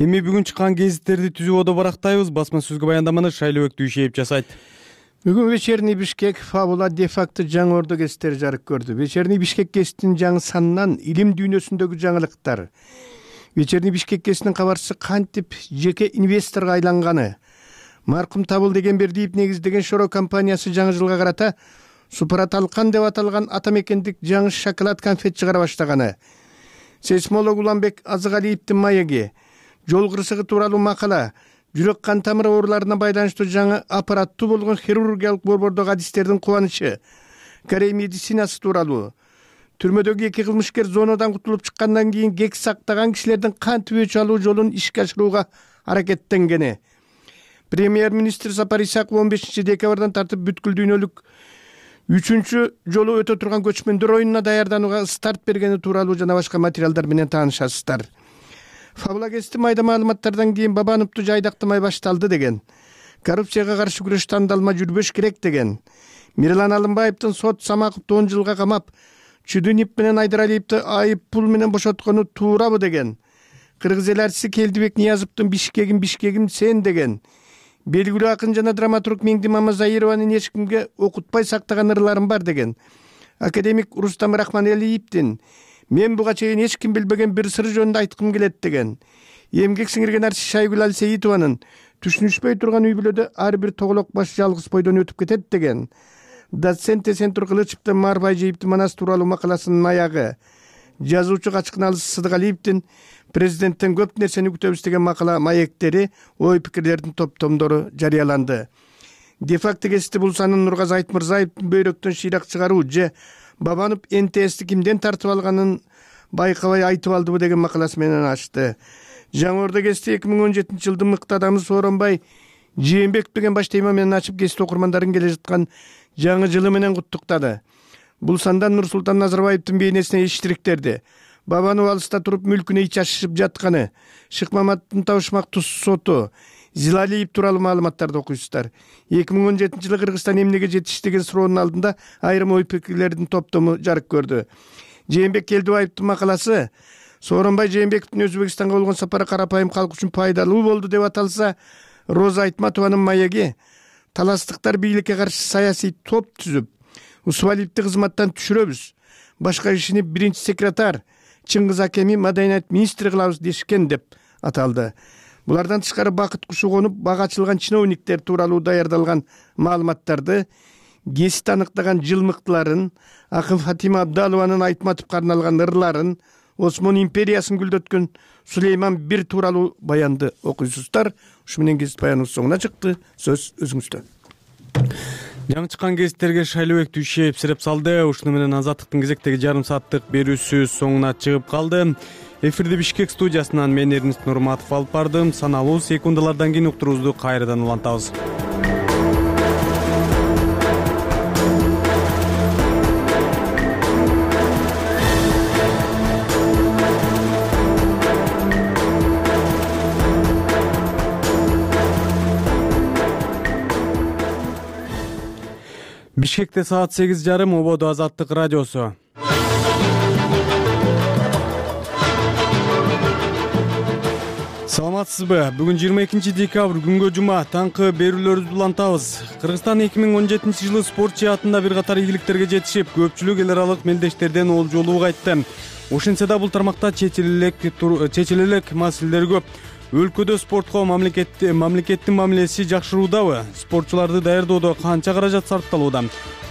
Эми бүгүн чыккан гезиттерди түзүүбөдө барактайбыз. Басма сөзгө баяндаманы Шайлообек Дүйшеев жасайт. Бүгүн вечерний Бишкек Фабула де-факто жаңы ордо гезиттери жарык көрдү. Вечерний Бишкек гезитинин жаңы санынан илим дүйнөсүндөгү жаңылыктар. Вечерний Бишкек гезитинин кабарчысы кантип жеке инвесторго айланганы, маркум Табыл Дегенбердиев негиздеген Шоро компаниясы жаңы жылга карата Супраталкан деп аталган атамекендик жаңы шоколад конфет чыгара баштаганы, сейсмолог Уланбек Азыгалиевдин маеги, жол кырсыгы тууралуу макала, жүрөк кан тамыры ооруларына байланыштуу жаңы аппараттуу болгон хирургиялык борбордогу адистердин кубанычы, Корей медицинасы тууралуу, түрмөдөгү 2 кылмышкер зонадан кутулуп чыккандан кийин кек сактаган кишилердин кантип өч алуу жолун ишке ашырууга аракеттенгени, премьер-министр Сапар Исаков 15 декабрдан тартып бүткүл дүйнөлүк 3 жолу өтө турган көчмөндөр оюнуна даярданууга старт бергени тууралуу жана башка материалдар менен таанышасыздар. Фабула гезити майда маалыматтардан кийин Бабановду жайдактамай башталды деген, коррупцияга каршы күрөш тандалма жүрбөш керек деген, Мирлан Алымбаевдин сот Самаковду 10 жылга камап, Чүдүнип менен Айдаралиевди айып пул менен бошоткону туурабы деген, кыргыз эл элчиси Келдибек Ниязовдун Бишкегим сен деген, белгилүү акын жана драматург Меңди Мамазайырованын эч кимге окутпай сактаган ырларым бар деген, академик Рустам Рахманелиевдин мен буга чейин эч ким билбеген бир сыр жөнүндө айткым келет деген, эмгек сиңирген артист Шайгүл Алсейитованын түшүнүшпөй турган үй бүлөдө ар бир тоголок баш жалгыз бойдон өтүп кетет деген, доцент Эсентур Кылычевдин Марбай жейиптин манас тууралуу макаласынын аягы, жазуучу Качкыналыс Сыдыгалиевдин президенттен көп нерсени күтөбүз деген макала маектери, ой пикирлердин топтомдору жарыяланды. Де-факто гезити бул санын Нургазы Айтмырзаевдин бөйрөктөн шыйрак чыгаруу же Бабанов НТСти кимден тартып алганын байкабай айтып алдыбы деген макаласы менен ачты. Жаңы ордо гезити 2017 жылдын мыкты адамы Сооронбай Жээнбеков деген баш тема менен ачып гезит окурмандарын келе жаткан жаңы жылы менен куттуктады. Бул санда Нурсултан Назарбаевдин бейнесине эчтириктерди. Бабанов алыста туруп мүлкүнө ич ашышып жатканы, Шыкмаматтын Табышмак туз соту, Зилалиев тууралуу маалыматтарды окуйсуздар. 2017 жылы Кыргызстан эмнеге жетиш деген суроонун алдында айрым ой пикирлердин топтому жарык көрдү. Жээнбек Келдибаевдин макаласы Сооронбай Жээнбековдун Өзбекстанга болгон сапары карапайым калк үчүн пайдалуу болду деп аталса, Роза Айтматованын маеги таластыктар бийликке каршы саясий топ түзүп, Усвалиевди кызматтан түшүрөбүз, башка кишини биринчи секретарь Чыңгыз Акеми маданият министри кылабыз дешкен деп аталды. Булардан тышкары Бакыт Кушугонуп бага ачылган чиновниктер тууралуу даярдалган маалыматтарды, гезит аныктаган жылмыктыларын, акын Фатима Абдалованын Айтматовго арналган ырларын, Осмон империясын гүлдөткөн Сулейман бир тууралуу баянды окуйсуздар. Ушу менен гезит баяныбыз соңуна чыкты. Сөз өзүңүздө. Жаңы чыккан гезиттерге Шайлообек Дүйшеев сиреп салды. Ушуну менен Азаттыктын кезектеги жарым сааттык берүүсү соңуна чыгып калды. Эфирди Бишкек студиясынан мен Эрнест Нурматов алып бардым. Саналуу секундалардан кийин уктуруубузду кайрадан улантабыз. Бишкекте саат 8:30 ободо Азаттык радиосу. Саламатсызбы? Бүгүн 22 декабрь күнгө жума таңкы берүүлөрүбүздү улантабыз. Кыргызстан 2017 жылы спорт жаатында бир катар ийгиликтерге жетишип, көпчүлүк эл аралык мелдештерден олжолуу кайтты. Ошентсе да бул тармакта чечилелек маселелер көп. Өлкөдө спортко мамлекеттин мамилеси жакшыруудабы? Спортчуларды даярдоодо канча каражат сарпталууда?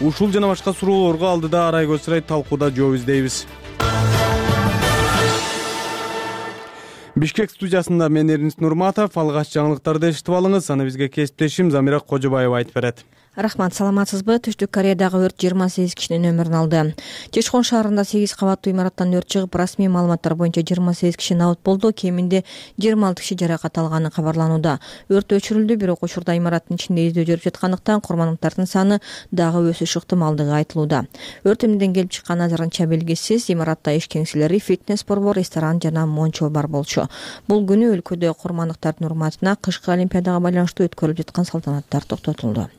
Ушул жана башка суроолорго алдыда Арай Көчсарай талкууда жооп издейбиз. Бишкек студиясында мен Эрнис Нурматов. Алгач жаңылыктарды эшитип алыңыз. Аны бизге кесиптешим Замира Кожобаева айтып берет. Рахмат, саламатсызбы? Түштүк Кореядагы өрт 28 кишинин өмүрүн алды. Чечкон шаарында 8 кабаттуу имараттан өрт чыгып, расмий маалыматтар боюнча 28 киши набыт болду, кеминде 26 киши жаракат алганы кабарланууда. Өрт өчүрүлдү, бирок учурда имараттын ичинде издөө жүрүп жаткандыктан курмандыктардын саны дагы өсүш ыктымалдыгы айтылууда. Өрт эмнеден келип чыкканы азырынча белгисиз. Имаратта иш кеңселери, фитнес-борбор, ресторан жана мончо бар болчу. Бул күнү өлкөдө курмандыктардын урматына кышкы олимпиадага байланыштуу өткөрүлүп жаткан салтанаттар токтотулду.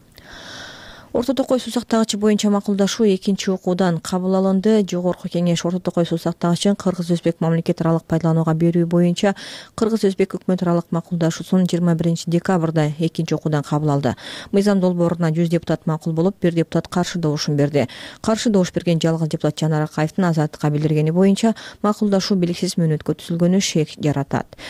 Орто Токой суу сактагычы боюнча макулдашуу экинчи окуудан кабыл алынды. Жогорку кеңеш Орто Токой суу сактагычын кыргыз-өзбек мамлекет аралык пайдаланууга берүү боюнча кыргыз-өзбек өкмөт аралык макулдашуусун 21 декабрда экинчи окуудан кабыл алды. Мыйзам долбооруна 100 депутат макул болуп, 1 депутат каршы добушун берди. Каршы добуш берген жалгыз депутат Жанар Акаевдин Азаттыкка билдиргени боюнча макулдашуу белгисиз мөөнөткө түзүлгөнү шек жаратат.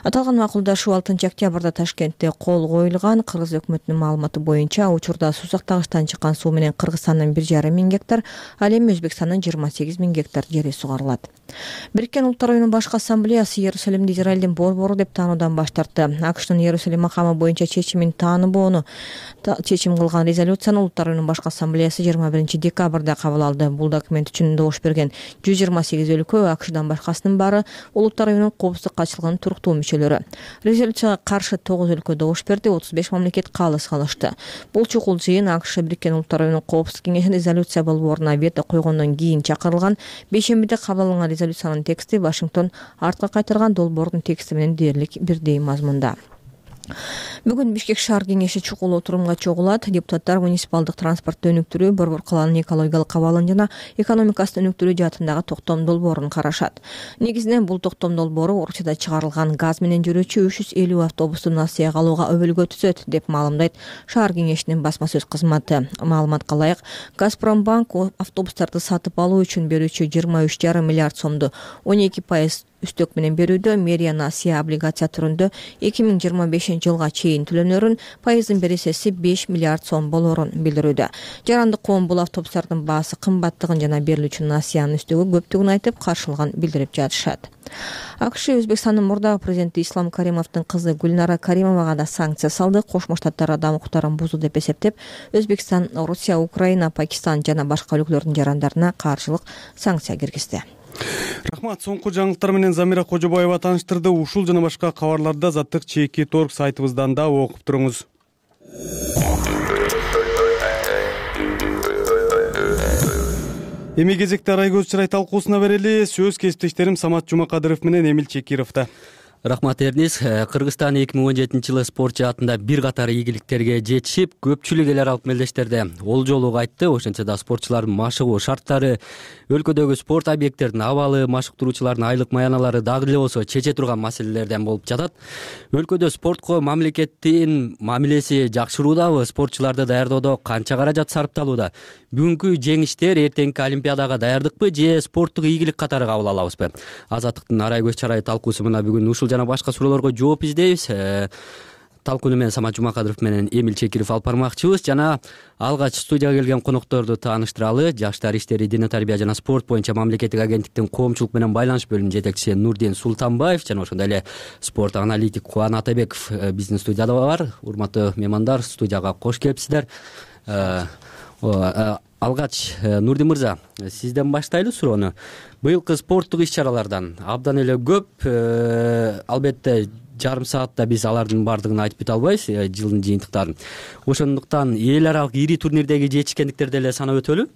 Аталган макулдашуу 6 октябрда Ташкентте кол коюлган. Кыргыз өкмөтүнүн маалыматы боюнча учурда суу сактагычтан чыккан суу менен Кыргызстандын 1,5 миң гектар, ал эми Өзбекстандын 28 миң гектар жери сугарылат. Бириккен Улуттар Уюмунун башкы ассамблеясы Иерусалимди Израилдин борбору деп таануудан баш тартты. АКШтын Иерусалим макамы боюнча чечимин тааныбоону чечим кылган резолюцияны Улуттар Уюмунун башкы ассамблеясы 21 декабрда кабыл алды. Бул документ үчүн добуш берген 128 өлкө, АКШдан башкасынын баары Улуттар Уюмунун коопсуздук катчылыгынын туруктуу мүчөлөрү. Резолюцияга каршы 9 өлкө добуш берди, 35 мамлекет калыс калышты. Бул чукул жыйын АКШ Бириккен Улуттар Уюмунун коопсуздук кеңешинин резолюция болбооруна вето койгондон кийин чакырылган. Бейшембиде кабыл алынган резолюциянын тексти Вашингтон артка кайтарган долбоордун тексти менен дээрлик бирдей мазмунда. Бүгүн Бишкек шаар кеңеши чукул отурумга чогулат. Депутаттар муниципалдык транспортты өнүктүрүү, борбор калаанын экологиялык абалын жана экономикасын өнүктүрүү жаатындагы токтом долбоорун карашат. Негизинен бул токтом долбоору Орусияда чыгарылган газ менен жүрүүчү 350 автобусту Насияга алууга өбөлгө түзөт деп маалымдайт шаар кеңешинин басма сөз кызматы. Маалыматка ылайык, Газпромбанк автобустарды сатып алуу үчүн берүүчү 23,5 миллиард сомду 12% үстөк менен берүүдө мэрия Насия облигация түрүндө 2025 жылга чейин төлөнөрүн, пайыздын бересеси 5 миллиард сом болорун билдирүүдө. Жарандык коом бул автобустардын баасы кымбаттыгын жана берилүүчү Насиянын үстөгү көптүгүн айтып, каршылыгын билдирип жатышат. АКШ Өзбекстандын мурдагы президенти Ислам Каримовдун кызы Гүлнара Каримовага да санкция салды. Кошмо Штаттар адам укуктарын бузуу деп эсептеп, Өзбекстан, Русия, Украина, Пакистан жана башка өлкөлөрдүн жарандарына каршылык санкция киргизди. Рахмат, соңку жаңылыктар менен Замира Кожобаева тааныштырды. Ушул жана башка кабарларды Азаттык чеки торг сайтыбыздан да окуп туруңуз. Эми кезекте Арай Көчсарай талкуусуна берели. Сөз кесиптештерим Самат Жумакадыров менен Эмил Чекировда. Рахмат, Эрнис. Кыргызстан 2017 жылы спорт жаатында бир катар ийгиликтерге жетишип, көпчүлүк эл аралык мелдештерде олжолуу кайтты. Ошентсе да спортчулардын машыгуу шарттары, өлкөдөгү спорт объекттердин абалы, машыктыруучулардын айлык маяналары дагы эле болсо чече турган маселелерден болуп жатат. Өлкөдө спортко мамлекеттин мамилеси жакшыруудабы? Спортчуларды даярдоодо канча каражат сарпталууда? Бүгүнкү жеңиштер эртеңки олимпиадага даярдыкпы же спорттук ийгилик катары кабыл алабызбы? Азаттыктын Арай Көчсарай талкуусу мына бүгүн ушул жана башка суроолорго жооп издейбиз. Талкууну мен Самат Жумакадыров менен Эмил Чекиров алып бармакчыбыз. Жана алгач студияга келген конокторду тааныштыралы. Жаштар иштери, диний тарбия жана спорт боюнча мамлекеттик агенттиктин коомчулук менен байланыш бөлүмүнүн жетекчиси Нурдин Султанбаев жана ошондой эле спорт аналитик Кубан Атабеков биздин студияда бар. Урматтуу меймандар, студияга кош келипсиздер. Алгач, Нурдин мырза, сизден баштайлы суроону. Быйылкы спорттук иш-чаралардан абдан эле көп, албетте жарым саатта биз алардын баардыгын айтып бете албайбыз, жылдын жыйынтыктарын. Ошондуктан эл аралык ири турнирдеги жетишкендиктерди эле санап өтөлү.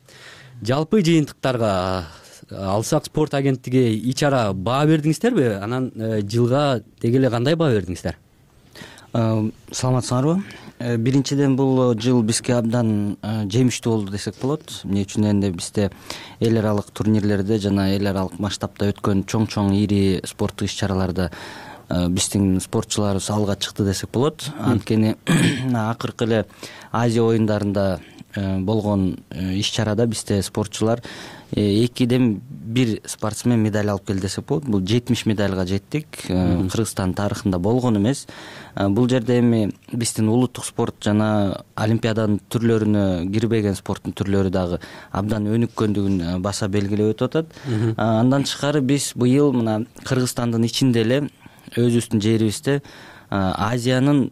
Жалпы жыйынтыктарга алсак спорт агенттиги ич-чара баа бердиңиздерби? Анан жылга деги эле кандай баа бердиңиздер? Саламатсыңарбы? Биринчиден бул жыл бизге абдан жемиштүү болду десек болот. Эмне үчүн дегенде бизде эл аралык турнирлерде жана эл аралык масштабта өткөн чоң ири спорттук иш-чараларда биздин спортчуларыбыз алга чыкты десек болот. Анткени акыркы эле Азия оюндарында болгон иш-чарада бизде спортчулар 2-1 спортсмен медаль алып келди десек болот. Бул 70 медальга жеттик. Кыргызстан тарыхында болгон эмес. Бул жерде эми биздин улуттук спорт жана олимпиаданын түрлөрүнө кирбеген спорттун түрлөрү дагы абдан өнүккөндүгүн баса белгилеп өтүп атат. Андан тышкары биз быйыл мына Кыргызстандын ичинде эле өзүбүздүн жерибизде Азиянын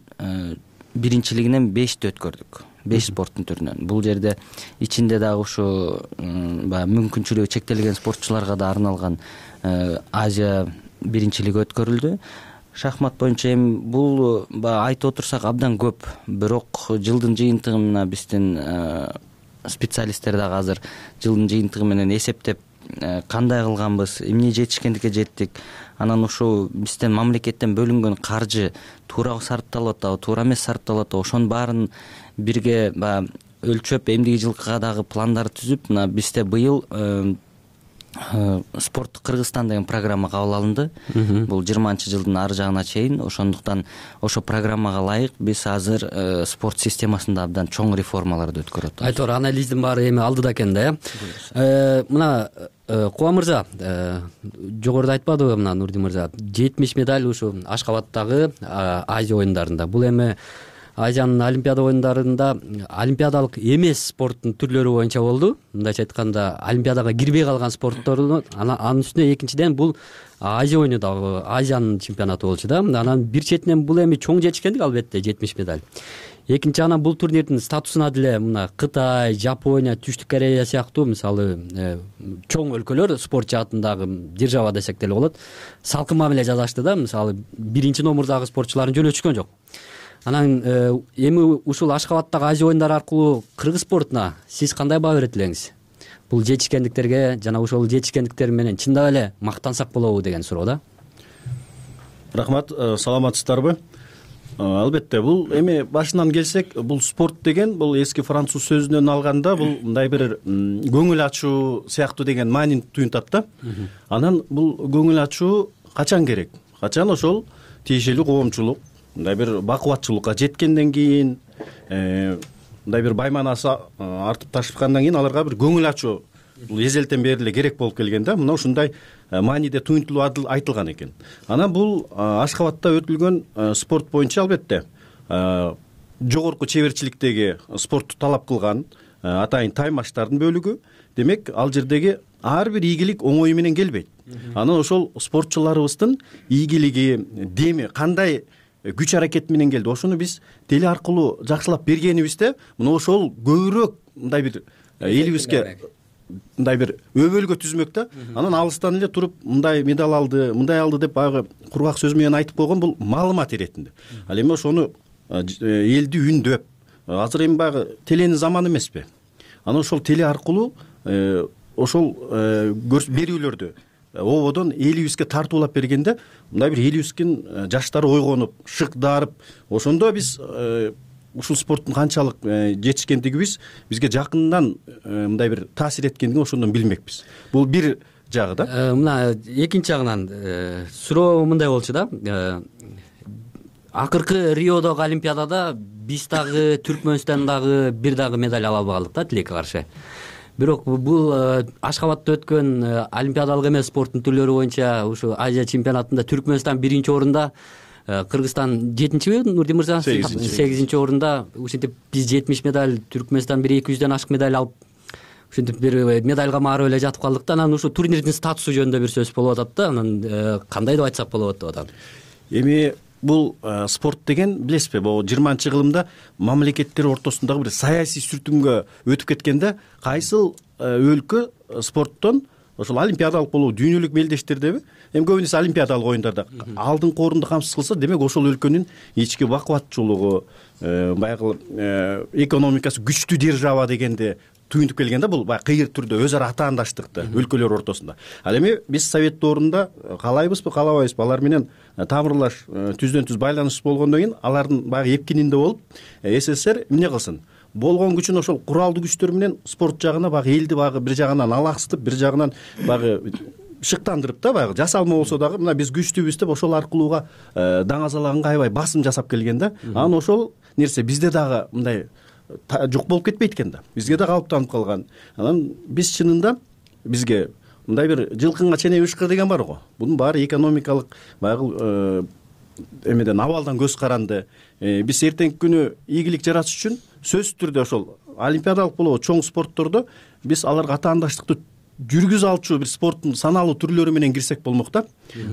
биринчилигинен 5-ті өткөрдүк. 5 спорттун түрүнөн. Бул жерде ичинде дагы ушу баягы мүмкүнчүлүгү чектелген спортчуларга да арналган Азия биринчилиги өткөрүлдү. Шахмат боюнча эми бул баягы айтып отурсак абдан көп. Бирок жылдын жыйынтыгы мына биздин специалисттер дагы азыр жылдын жыйынтыгы менен эсептеп кандай кылганбыз, эмне жетишкендикке жеттик. Анан ушул бизден мамлекеттен бөлүнгөн каржы туура сарпталып атабы, туура эмес сарпталып атабы, ошонун баарын бирге баягы өлчөп эмдиги жылкыга дагы пландар түзүп, мына бизде быйыл спорттук Кыргызстан деген программа кабыл алынды. Бул 20-жылдын ары жагына чейин. Ошондуктан ошо программага ылайык биз азыр спорт системасында абдан чоң реформаларды өткөрүп атабыз. Айтор анализдин баары эми алдыда экен да, мына Куба мырза, жогоруда айтпадыбы мына Нурдин мырза, 70 медаль ушу Ашкабадтагы Азия оюндарында. Бул эми Азиянын олимпиада оюндарында олимпиадалык эмес спорттун түрлөрү боюнча болду. Мындайча айтканда, олимпиадага кирбей калган спорттордун анын үстүнө экинчиден бул Азия оюну дагы Азиянын чемпионаты болчу да. Анан бир четинен бул эми чоң жетишкендик албетте 70 медаль. Экинчи анан бул турнирдин статусуна деле мына Кытай, Жапония, Түштүк Корея сыяктуу мисалы чоң өлкөлөр спорт жаатындагы держава десек деле болот. Салкын мамиле жасашты да, мисалы 1-номурдагы спортчуларын жөнөтүшкөн жок. Анан эми ушул Ашкабадтагы Азия оюндары аркылуу кыргыз спортуна сиз кандай баа берет элеңиз? Бул жетишкендиктерге жана ошол жетишкендиктер менен чындап эле мактансак болобу деген суроо да. Рахмат, саламатсыздарбы? Албетте, бул эми башынан келсек, бул спорт деген бул эски француз сөзүнөн алганда бул мындай бир көңүл ачуу сыяктуу деген маанини туюнтат да. Анан бул көңүл ачуу качан керек? Качан ошол тиешелүү коомчулук мындай бир бакубатчылыкка жеткенден кийин, мындай бир байманасы артып ташкандан кийин аларга бир көңүл ачуу бул эзелтен бери эле керек болуп келген да. Мына ушундай мааниде туюнтулуп айтылган экен. Анан бул Ашкабадта өтүлгөн спорт боюнча албетте жогорку чеберчиликтеги спортту талап кылган атайын таймаштардын бөлүгү. Демек, ал жердеги ар бир ийгилик оңой менен келбейт. Анан ошол спортчуларыбыздын ийгилиги, деми кандай күч аракет менен келди. Ошону биз теле аркылуу жакшылап бергенибизде, мына ошол көбүрөөк мындай бир элибизге мындай бир өбөлгө түзмөк да. Анан алыстан эле туруп мындай медаль алды, мындай алды деп баягы кургак сөз менен айтып койгон бул маалымат иретинде. Ал эми ошону элди үндөп, азыр эми баягы теленин заманы эмеспи? Анан ошол теле аркылуу ошол берүүлөрдү ободон элибизге тартуулап бергенде, мындай бир элибиздин жаштары ойгонуп, шыктарып, ошондо биз ушул спорттун канчалык жетишкендигибиз бизге жакындан мындай бир таасир эткендигин ошондон билмекпиз. Бул бир жагы да. Мына экинчи жагынан суроо мындай болчу да. Акыркы Риодогу олимпиадада биз дагы Түркмөнстан дагы бир дагы медаль ала албадык да, тилекке каршы. Бирок бул Ашкабадта өткөн олимпиадалык эмес спорттун түрлөрү боюнча ушу Азия чемпионатында Түркмөнстан 1-орунда, Кыргызстан 7-би, Нурдин мырза 8-орунда. Ушинтип биз 70 медаль, Түркмөнстан 200дөн ашык медаль алып, ушинтип бир медальга маарып эле жатып калдык да. Анан ушу турнирдин статусу жөнүндө бир сөз болуп атат да. Анан кандай деп айтсак болот деп атам. Эми бул спорт деген билесизби, бул 20-кылымда мамлекеттер ортосундагы бир саясий сүртүмгө өтүп кеткенде, кайсыл өлкө спорттон ошол олимпиадалык болуу дүйнөлүк белдештердеби, эми көбүнесе олимпиадалык оюндарда алдыңкы орунду камсыз кылса, демек ошол өлкөнүн ички бакубатчылыгы, баягы экономикасы күчтүү держава дегенде түйүнтүп келгенде бул баягы кыйыр түрдө өз ара атаандаштыкты өлкөлөр ортосунда. Ал эми биз совет доорунда каалайбызбы каалабайбызбы алар менен тамырлаш түздөн түз байланыш болгондон кийин алардын баягы эпкининде болуп СССР эмне кылсын, болгон күчүн ошол куралдуу күчтөр менен спорт жагына баягы элди баягы бир жагынан алаксытып, бир жагынан баягы шыктандырып да баягы жасалма болсо дагы мына биз күчтүүбүз деп ошол аркылууга даңазалаганга аябай басым жасап келген да. Анан ошол нерсе бизде дагы мындай жок болуп кетпейт экен да, бизге да калыптанып калган. Анан биз чынында бизге мындай бир жылкынга чене ышкы деген бар го. Бунун баары экономикалык баягы эмеден абалдан көз каранды. Биз эртеңки күнү ийгилик жаратыш үчүн сөзсүз түрдө ошол олимпиадалык болобу чоң спорттордо биз аларга атаандаштыкты жүргүзө алчу бир спорттун саналуу түрлөрү менен кирсек болмок да.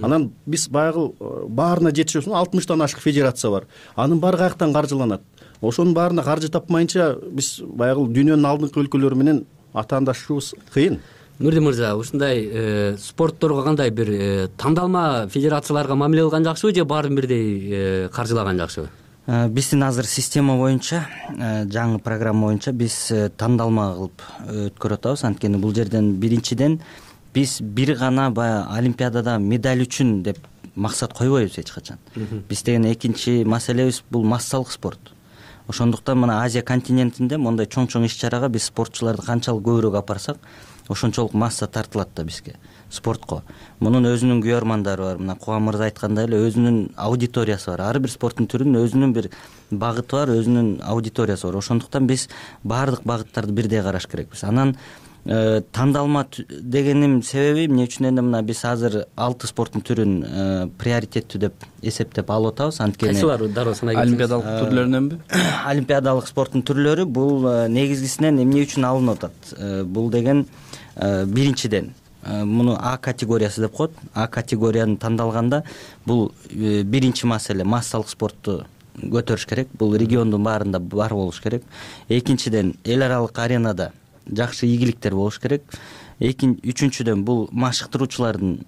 Анан биз баягы баарына жетише 60тан ашык федерация бар. Анын баары каяктан каржыланат? Ошонун баарына каржы тапмайынча биз баягы дүйнөнүн алдыңкы өлкөлөрү менен атаандашуубуз кыйын. Нурди мырза, ушундай спортторго кандай бир тандалма федерацияларга мамиле кылган жакшыбы же баарын бирдей каржылаган жакшыбы? Биздин азыр система боюнча, жаңы программа боюнча биз тандалма кылып өткөрүп атабыз. Анткени бул жерден биринчиден биз бир гана баягы олимпиадада медаль үчүн деп максат койбойбуз эч качан. Биз деген экинчи маселебиз бул массалык спорт. Ошондуктан мына Азия континентинде мондай чоң-чоң иш-чарага биз спортчуларды канчалык көбүрөөк апарсак, ошончолук масса тартылат да бизге спортко. Мунун өзүнүн күйөрмандары бар. Мына Кубан мырза айткандай эле өзүнүн аудиториясы бар. Ар бир спорттун түрүнүн өзүнүн бир багыты бар, өзүнүн аудиториясы бар. Ошондуктан биз баардык багыттарды бирдей караш керекпиз. Анан тандалма дегеним себеби эмне үчүн эле мына биз азыр 6 спорттун түрүн приоритеттүү деп эсептеп алып атабыз. Анткени кайсылар дароо санай кетсеңиз? Олимпиадалык түрлөрүнөнбү? Олимпиадалык спорттун түрлөрү бул негизгисинен эмне үчүн алынып атат? Бул деген биринчиден муну А категориясы деп коет. А категорияны тандалганда бул биринчи маселе массалык спортту көтөрүш керек. Бул региондун баарында бар болуш керек. Экинчиден эл аралык аренада жакшы ийгиликтер болуш керек. Үчүнчүдөн бул машыктыруучулардын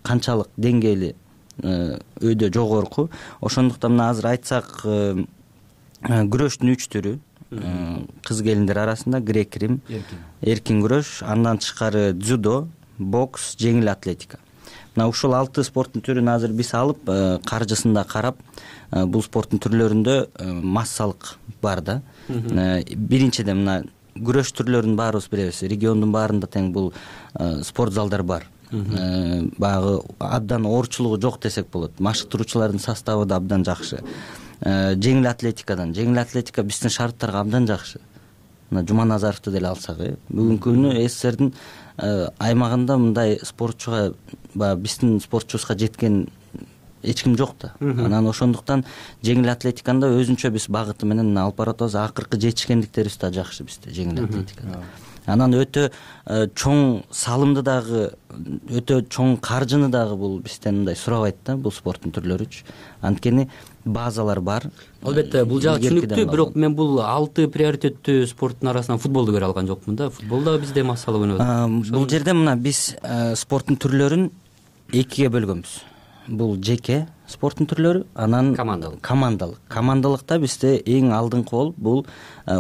канчалык деңгээли өйдө жогорку. Ошондуктан мына азыр айтсак күрөштүн 3 түрү кыз келиндер арасында грек-рим, эркин күрөш, андан тышкары дзюдо, бокс, жеңил атлетика. Мына ушул 6 спорттун түрүн азыр биз алып, каржысында карап, бул спорттун түрлөрүндө массалык бар да. Биринчиден мына күрөш түрлөрүнүн баарыбыз билебиз. Региондун баарында тең бул спорт залдар бар. Баягы абдан оорчулугу жок десек болот. Машыктыруучулардын составы да абдан жакшы. Жеңил атлетика биздин шарттарга абдан жакшы. Мына Жуманазаровду деле алсак, бүгүнкү күнү СССРдин аймагында мындай спортчуга биздин спортчубузга жеткен эч ким жок да. Анан ошондуктан жеңил атлетиканда өзүнчө биз багыты менен алып баратабыз. Акыркы жетишкендиктерибиз да жакшы бизде жеңил атлетикада. Анан өтө чоң салымды дагы, өтө чоң каржыны дагы бул бизден мындай сурабайт да, бул спорттун түрлөрүчү. Анткени базалар бар. Албетте, бул жагы түшүнүктүү, бирок мен бул 6 приоритеттүү спорттун арасынан футболду көрө алган жокмун да. Футбол дагы бизде массалуу өнөт. Бул жерде мына биз спорттун түрлөрүн экиге бөлгөнбүз. Бул жеке спорттун түрлөрү, анан командалык. Командалыкта бизде эң алдыңкы болуп бул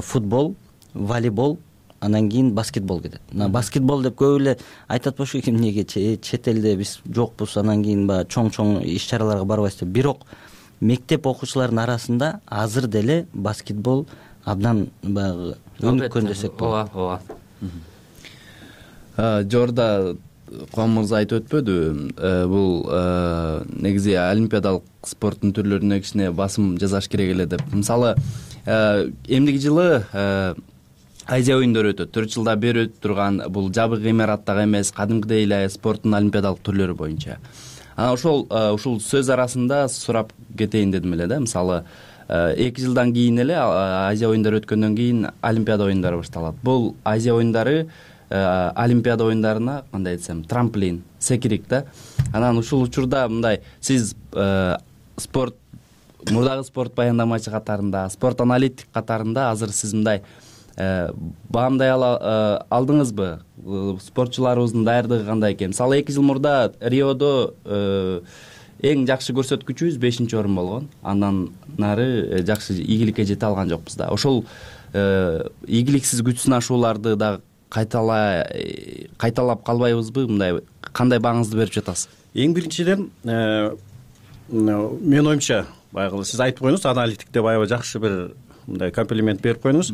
футбол, волейбол, анан кийин баскетбол кетет. Мына баскетбол деп көп эле айтат болчу, эмнеге чет элде биз жокпуз, анан кийин баягы чоң-чоң иш-чараларга барбайбыз деп. Бирок мектеп окуучуларынын арасында азыр деле баскетбол абдан баягы өнүккөн десек болот. Ооба. Жорда Кубан мырза айтып өтпөдү, бул негизи олимпиадалык спорттун түрлөрүнө кичине басым жасаш керек эле деп. Мисалы, эмдиги жылы Азия оюндары өтөт. 4 жылда бери өтүп турган бул жабык имараттагы эмес, кадимкидей эле спорттун олимпиадалык түрлөрү боюнча. Анан ушул сөз арасында сурап кетейин дедим эле да. Мисалы, 2 жылдан кийин эле Азия оюндары өткөндөн кийин Олимпиада оюндары башталат. Бул Азия оюндары Олимпиада оюндарына кандай десем, трамплин, секирик да. Анан ушул учурда мындай сиз спорт мурдагы спорт баяндамачы катарында, спорт аналитик катарында азыр сиз мындай баамдай алдыңызбы? Спортчуларыбыздын даярдыгы кандай экен? Мисалы 2 жыл мурда Риодо эң жакшы көрсөткүчүбүз 5-орун болгон. Андан нары жакшы ийгиликке жете алган жокпуз да. Ошол ийгиликсиз күч сынашууларды дагы кайталап калбайбызбы? Мындай кандай бааңызды берип жатасыз? Эң биринчиден менин оюмча баягы сиз айтып коюңуз, аналитик деп аябай жакшы бир мындай комплимент берип койдуңуз.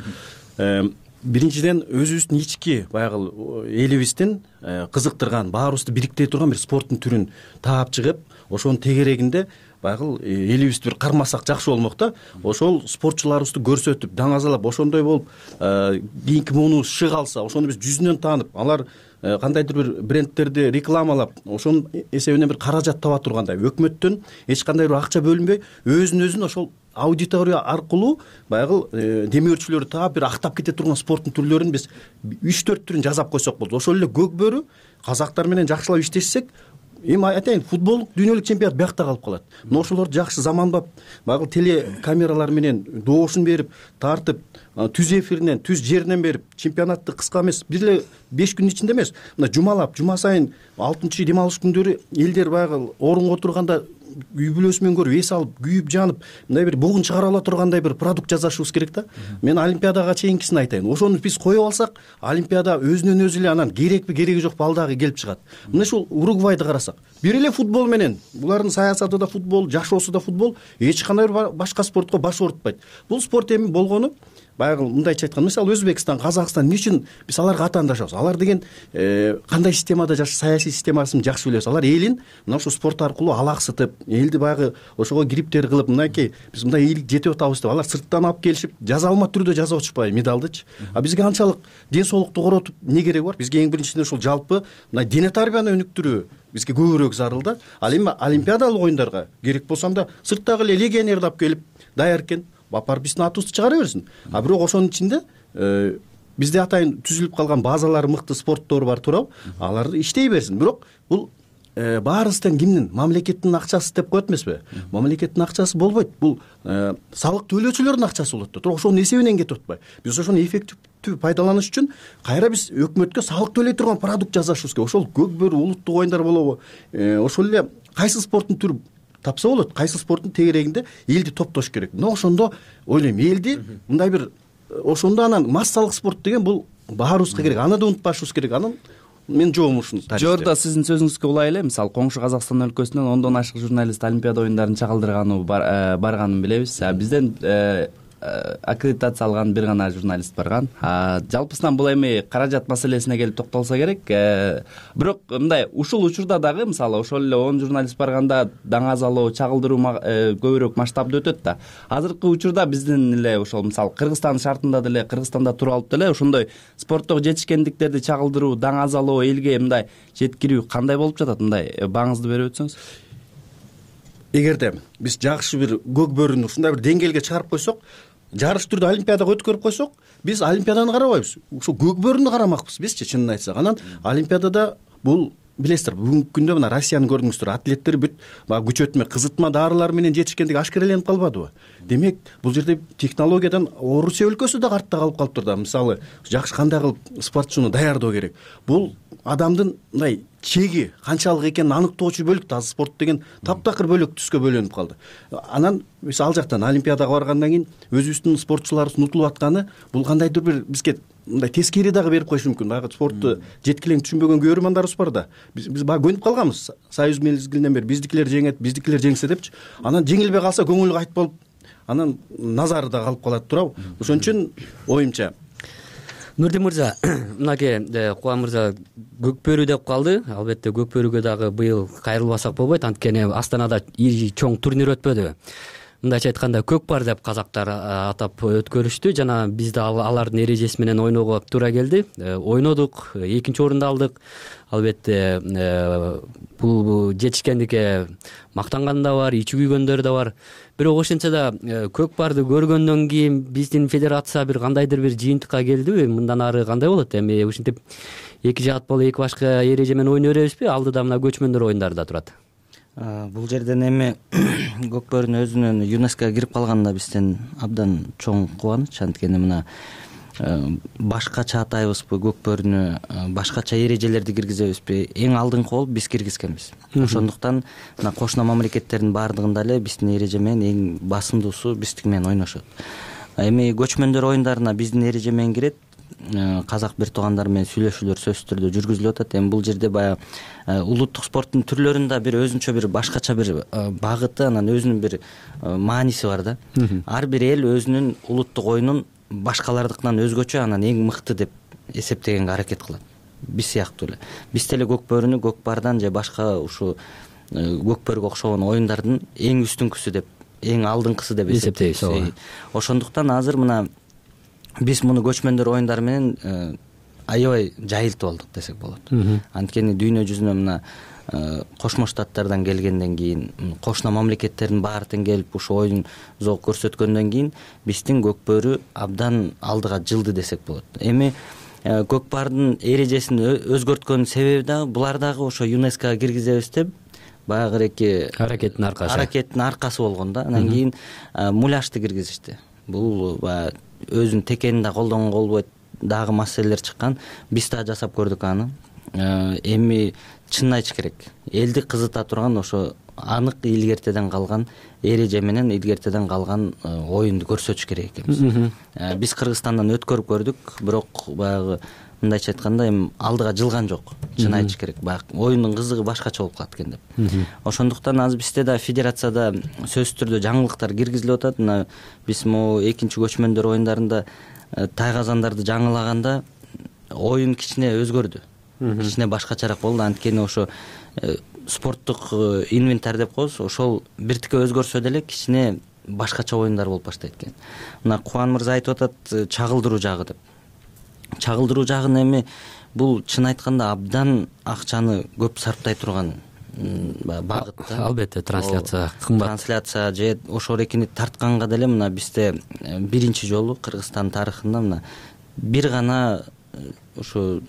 Биринчиден өзүбүздүн ички баягы элибиздин кызыктырган, баарыбызды бириктире турган бир спорттун түрүн таап чыгып, ошонун тегерегинде баягы элибизди бир кармасак жакшы болмок да. Ошол спортчуларыбызды көрсөтүп, даңазалап, ошондой болуп, кийинки муунубуз шык алса, ошону биз жүзүнөн таанып, алар кандайдыр бир брендтерди рекламалап, ошонун эсебинен бир каражат таба тургандай, өкмөттөн эч кандай бир акча бөлүнбөй, өзүн ошол аудитория аркылуу баягы демөөрчүлөрдү таап бир актап кете турган спорттун түрлөрүн биз 3-4 түрүн жасап койсок болот. Ошол эле көк бөрү казактар менен жакшылап иштешсек, эми айтайын, футболдук дүйнөлүк чемпионат биякта калып калат. Мына ошолорду жакшы заманбап баягы телекамералар менен доошун берип, тартып, түз эфиринен, түз жеринен берип, чемпионатты кыска эмес, бир эле 5 күнүн ичинде эмес, мына жумалап, жума сайын 6-чы дем алыш күндөрү элдер баягы орунга отурганда үй бүлөсү менен көрүп, эс алып, күйүп жанып, мындай бир бугун чыгара ала тургандай бир продукт жасашыбыз керек да. Мен олимпиадага чейинкисин айтайын. Ошону биз коюп алсак, олимпиада өзүнөн өзү эле анан керекпи, кереги жокпу ал дагы келип чыгат. Мына ушул Уругвайды карасак, бир эле футбол менен, булардын саясаты да футбол, жашоосу да футбол, эч кандай башка спортко баш оорутпайт. Бул спорт эми болгону баягы мындайча айтканда, мисалы Өзбекстан, Казакстан, эмне үчүн биз аларга атаандашабыз? Алар деген кандай системада саясий системасын жакшы билебиз. Алар элин мына ушул спорт аркылуу алаксытып, элди баягы ошого гриптер кылып, мынакей биз мындай ийгилик жетип атабыз деп алар сырттан алып келишип, жазалма түрдө жазып атышпайбы медалдычы? А бизге анчалык ден соолукту коротуп эмне кереги бар? Бизге эң биринчиден ушул жалпы мына дене тарбияны өнүктүрүү бизге көбүрөөк зарыл да. Ал эми олимпиадалык оюндарга керек болсом да сырттагы эле легионерди алып келип даяр экен, бапар биздин атыбызды чыгара берсин. А бирок ошонун ичинде бизде атайын түзүлүп калган базалары мыкты спорттор бар туурабы? Алар иштей берсин. Бирок бул баарыбыздан кимдин? Мамлекеттин акчасы деп коет эмеспи? Мамлекеттин акчасы болбойт. Бул салык төлөөчүлөрдүн акчасы болот да. Бирок ошонун эсебинен кетип атпайбы? Биз ошону эффективдүү пайдаланыш үчүн кайра биз өкмөткө салык төлөй турган продукт жасашыбыз керек. Ошол көк бөрү улуттук оюндар болобу? Ошол эле кайсы спорттун түрү тапса болот, кайсы спорттун тегерегинде элди топтош керек. Мына ошондо ойлойм, элди мындай бир ошондо анан массалык спорт деген бул баарыбызга керек. Аны да унутпашыбыз керек. Анан мен жоом ушуну. Жордо сиздин сөзүңүзгө улай эле, мисалы коңшу Казакстан өлкөсүнөн 10дон ашык журналист Олимпиада оюндарын чагылдырганы барганын билебиз. Бизден аккредитация алган бир гана журналист барган. Жалпысынан бул эми каражат маселесине келип токтолсо керек. Бирок мындай ушул учурда дагы мисалы ошол эле 10 журналист барганда даңазалоо, чагылдыруу көбүрөөк масштабда өтөт да. Азыркы учурда биздин эле ошол мисалы Кыргызстан шартында деле, Кыргызстанда туруп алып деле ошондой спорттогу жетишкендиктерди чагылдыруу, даңазалоо, элге мындай жеткирүү кандай болуп жатат? Мындай бааңызды берип өтсөңүз. Эгерде биз жакшы бир көк бөрүнү ушундай бир деңгээлге чыгарып койсок, жарыш түрдө олимпиадага өткөрүп койсок, биз олимпиаданы карабайбыз. Ушул көк бөрүнү карамакпыз бизчи, чынын айтсак. Анан олимпиадада бул билесиздер, бүгүнкү күндө мына Россияны көрдүңүздөр, атлеттер бүт баягы күч өтмө, кызытма дарылар менен жетишкендиги ашкереленип калбадыбы? Демек, бул жерде технологиядан Орусия өлкөсү да артта калып калыптыр да. Мисалы, жакшы кандай кылып спортчуну даярдоо керек. Бул адамдын мындай чеги канчалык экенин аныктоочу бөлүк да. Спорт деген таптакыр бөлөк түскө бөлүнүп калды. Анан биз ал жактан олимпиадага баргандан кийин өзүбүздүн спортчуларыбыз унутулуп атканы, бул кандайдыр бир бизге мындай тескери дагы берип коюшу мүмкүн. Баягы спортту жеткилең түшүнбөгөн көрөрмандарыбыз бар да. Биз баягы көнүп калганбыз. Союз мезгилинен бери биздикилер жеңет, биздикилер жеңсе депчи. Анан жеңилбей калса көңүлү кайт болуп, анан назары да калып калат туурабы? Ошон үчүн оюмча Нурдин мырза, мынакей Кубан мырза көк бөрү деп калды. Албетте көк бөрүгө дагы быйыл кайрылбасак болбойт, анткени Астанада чоң турнир өтпөдү. Мындайча айтканда көкпар деп казактар атап өткөрүштү жана бизде алардын эрежеси менен ойноого туура келди. Ойнодук, 2-нчи орунду алдык. Албетте бул жетишкендикке мактанган да бар, ичи күйгөндөр да бар. Бирок ошентсе да көкпарды көргөндөн кийин биздин федерация бир кандайдыр бир жыйынтыкка келдиби? Мындан ары кандай болот? Эми ушинтип 2 жаат болуп 2 башка эреже менен ойной беребизби? Алдыда мына көчмөндөр оюндары да турат. Бул жерден эми көк бөрүнүн өзүнүн ЮНЕСКОга кирип калганында бизден абдан чоң кубаныч. Анткени мына башкача атайбызбы көк бөрүнү, башкача эрежелерди киргизебизби? Эң алдыңкы болуп биз киргизгенбиз. Ошондуктан мына кошуна мамлекеттердин баардыгында эле биздин эреже менен эң басымдуусу биздики менен ойношот. Эми көчмөндөр оюндарына биздин эреже менен кирет. Казак бир туугандар менен сүйлөшүүлөр сөзсүз түрдө жүргүзүлүп атат. Эми бул жерде баягы улуттук спорттун түрлөрүндө бир өзүнчө бир башкача бир багыты, анан өзүнүн бир мааниси бар да. Ар бир эл өзүнүн улуттук оюнун башкалардыкынан өзгөчө, анан эң мыкты деп эсептегенге аракет кылат. Биз сыяктуу эле. Биз деле көкбөрүнү көкпардан же башка ушу көкбөргө окшогон оюндардын эң үстүнкүсү деп, эң алдыңкысы деп эсептейбиз. Ошондуктан азыр мына биз муну көчмөндөр оюндары менен аябай жайылтып алдык десек болот. Анткени дүйнө жүзүнө мына Кошмо Штаттардан келгенден кийин, кошуна мамлекеттердин баары тең келип ушу оюн зоок көрсөткөндөн кийин биздин көкбөрү абдан алдыга жылды десек болот. Эми көкпардын эрежесин өзгөрткөн себеби дагы булар дагы ошо ЮНЕСКОга киргизебиз деп баягыреки аракеттин аркасы болгон да. Анан кийин муляжды киргизишти. Бул баягы өзүнүн текенин да колдонгонго болбойт, дагы маселелер чыккан. Биз да жасап көрдүк аны. Эми чынын айтыш керек, элди кызыта турган ошо анык илгертеден калган эреже менен илгертеден калган оюнду көрсөтүш керек экенбиз. Биз Кыргызстандан өткөрүп көрдүк, бирок баягы мындайча айтканда эми алдыга жылган жок. Чын айтыш керек, баягы оюндун кызыгы башкача болуп калат экен деп. Ошондуктан азыр бизде да федерацияда сөзсүз түрдө жаңылыктар киргизилип атат. Мына биз могу экинчи көчмөндөр оюндарында тайгазандарды жаңылаганда оюн кичине өзгөрдү. Кичине башкачараак болду. Анткени ошо спорттук инвентарь деп коебуз, ошол биртике өзгөрсө деле кичине башкача оюндар болуп баштайт экен. Мына Кубан мырза айтып атат чагылдыруу жагы деп. Чагылдыруу жагын эми бул чын айтканда абдан акчаны көп сарптай турган багыт да. Албетте трансляция кымбат. Трансляция же ошол экини тартканга деле мына бизде биринчи жолу Кыргызстан тарыхында мына бир гана ушу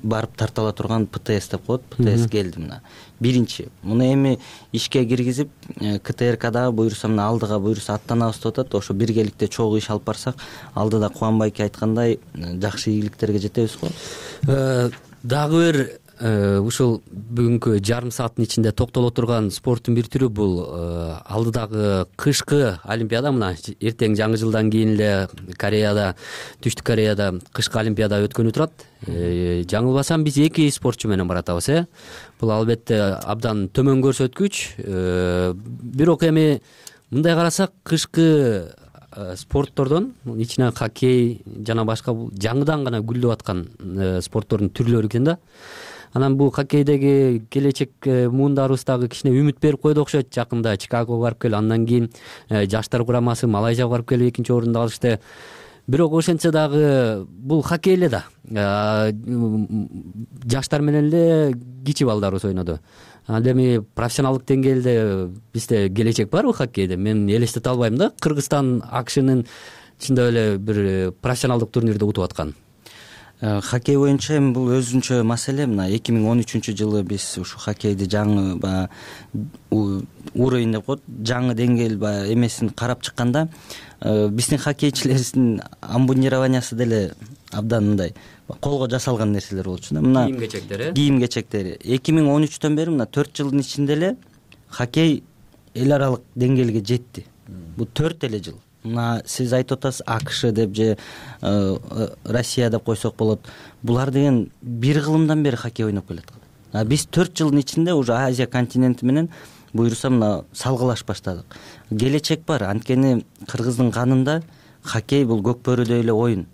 барып тартала турган ПТС деп коет. ПТС келди мына. Биринчи. Муну эми ишке киргизип, КТРКдагы буюрса мына алдыга буюрса аттанабыз деп атат. Ошо биргеликте чогуу иш алып барсак, алдыда Кубанбайке айткандай жакшы ийгиликтерге жетебиз го. Дагы бир ушул бүгүнкү жарым сааттын ичинде токтоло турган спорттун бир түрү бул алдыдагы кышкы олимпиада. Мына эртең жаңы жылдан кийин эле Кореяда, Түштүк Кореяда кышкы олимпиада өткөнү турат. Жаңылбасам биз 2 спортчу менен баратабыз. Бул албетте абдан төмөн көрсөткүч. Бирок эми мындай карасак кышкы спорттордон ичинен хоккей жана башка жаңыдан гана гүлдөп аткан спорттордун түрлөрү экен да. Анан бул хоккейдеги келечек муундарыбыз дагы кичине үмүт берип койду окшойт. Жакында Чикагого барып келип, андан кийин жаштар курамасы Малайзияга барып келип экинчи орунду алышты. Бирок ошентсе дагы бул хоккей эле да. Жаштар менен эле кичи балдарыбыз ойноду. Анда эми профессионалдык деңгээлде бизде келечек барбы хоккейде? Мен элестете албайм да. Кыргызстан АКШнын чындап эле бир профессионалдык турнирде утуп аткан. Хоккей боюнча эми бул өзүнчө маселе. Мына 2013-жылы биз ушу хоккейди жаңы уровень деп коет, жаңы деңгээл эмесин карап чыкканда, биздин хоккейчилерибиздин амбундированиясы деле абдан мындай колго жасалган нерселер болчу да. Мына кийим-кечектери 2013төн бери мына 4 жылдын ичинде эле хоккей эл аралык деңгээлге жетти. Бул 4 эле жыл. Мына сиз айтып атасыз АКШ деп же Россия деп койсок болот. Булар деген бир кылымдан бери хоккей ойноп келаткан. Биз 4 жылдын ичинде уже Азия континенти менен буюрса мына салгылаш баштадык. Келечек бар. Анткени кыргыздын канында хоккей бул көкбөрүдөй эле оюн.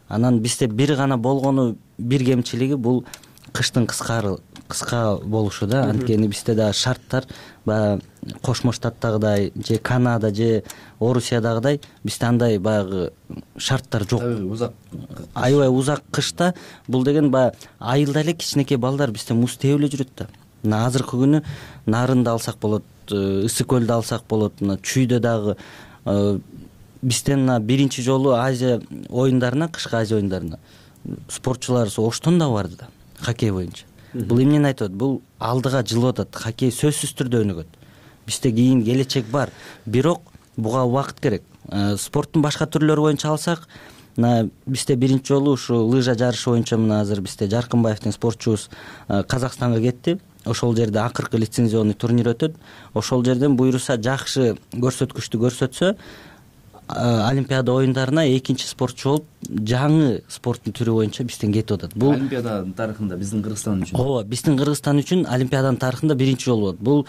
Анан бизде бир гана болгону, бир кемчилиги бул кыштын кыска болушу да. Анткени бизде да шарттар баягы Кошмо Штаттагыдай же Канада же Орусиядагыдай бизде андай баягы шарттар жок. Аябай узак кышта бул деген баягы айылда эле кичинекей балдар бизде муз тээп эле жүрөт да. Мына азыркы күнү Нарынды алсак болот, Ысык көлдү алсак болот, мына Чүйдө дагы бизден мына биринчи жолу Азия оюндарына, кышкы Азия оюндарына спортчуларыбыз Оштон да барды да, хоккей боюнча. Бул эмнени айтып атат? Бул алдыга жылып атат. Хоккей сөзсүз түрдө өнүгөт. Бизде кийин келечек бар. Бирок буга убакыт керек. Спорттун башка түрлөрү боюнча алсак, мына бизде биринчи жолу ушу лыжа жарышы боюнча мына азыр бизде Жаркынбаевдин спортчубуз Казакстанга кетти. Ошол жерде акыркы лицензионный турнир өтөт. Ошол жерден буюрса жакшы көрсөткүчтү көрсөтсө, олимпиада оюндарына экинчи спортчу болуп жаңы спорттун түрү боюнча бизден кетип атат. Бул олимпиаданын тарыхында биздин Кыргызстан үчүн. Ооба, биздин Кыргызстан үчүн олимпиаданын тарыхында биринчи жолу болот. Бул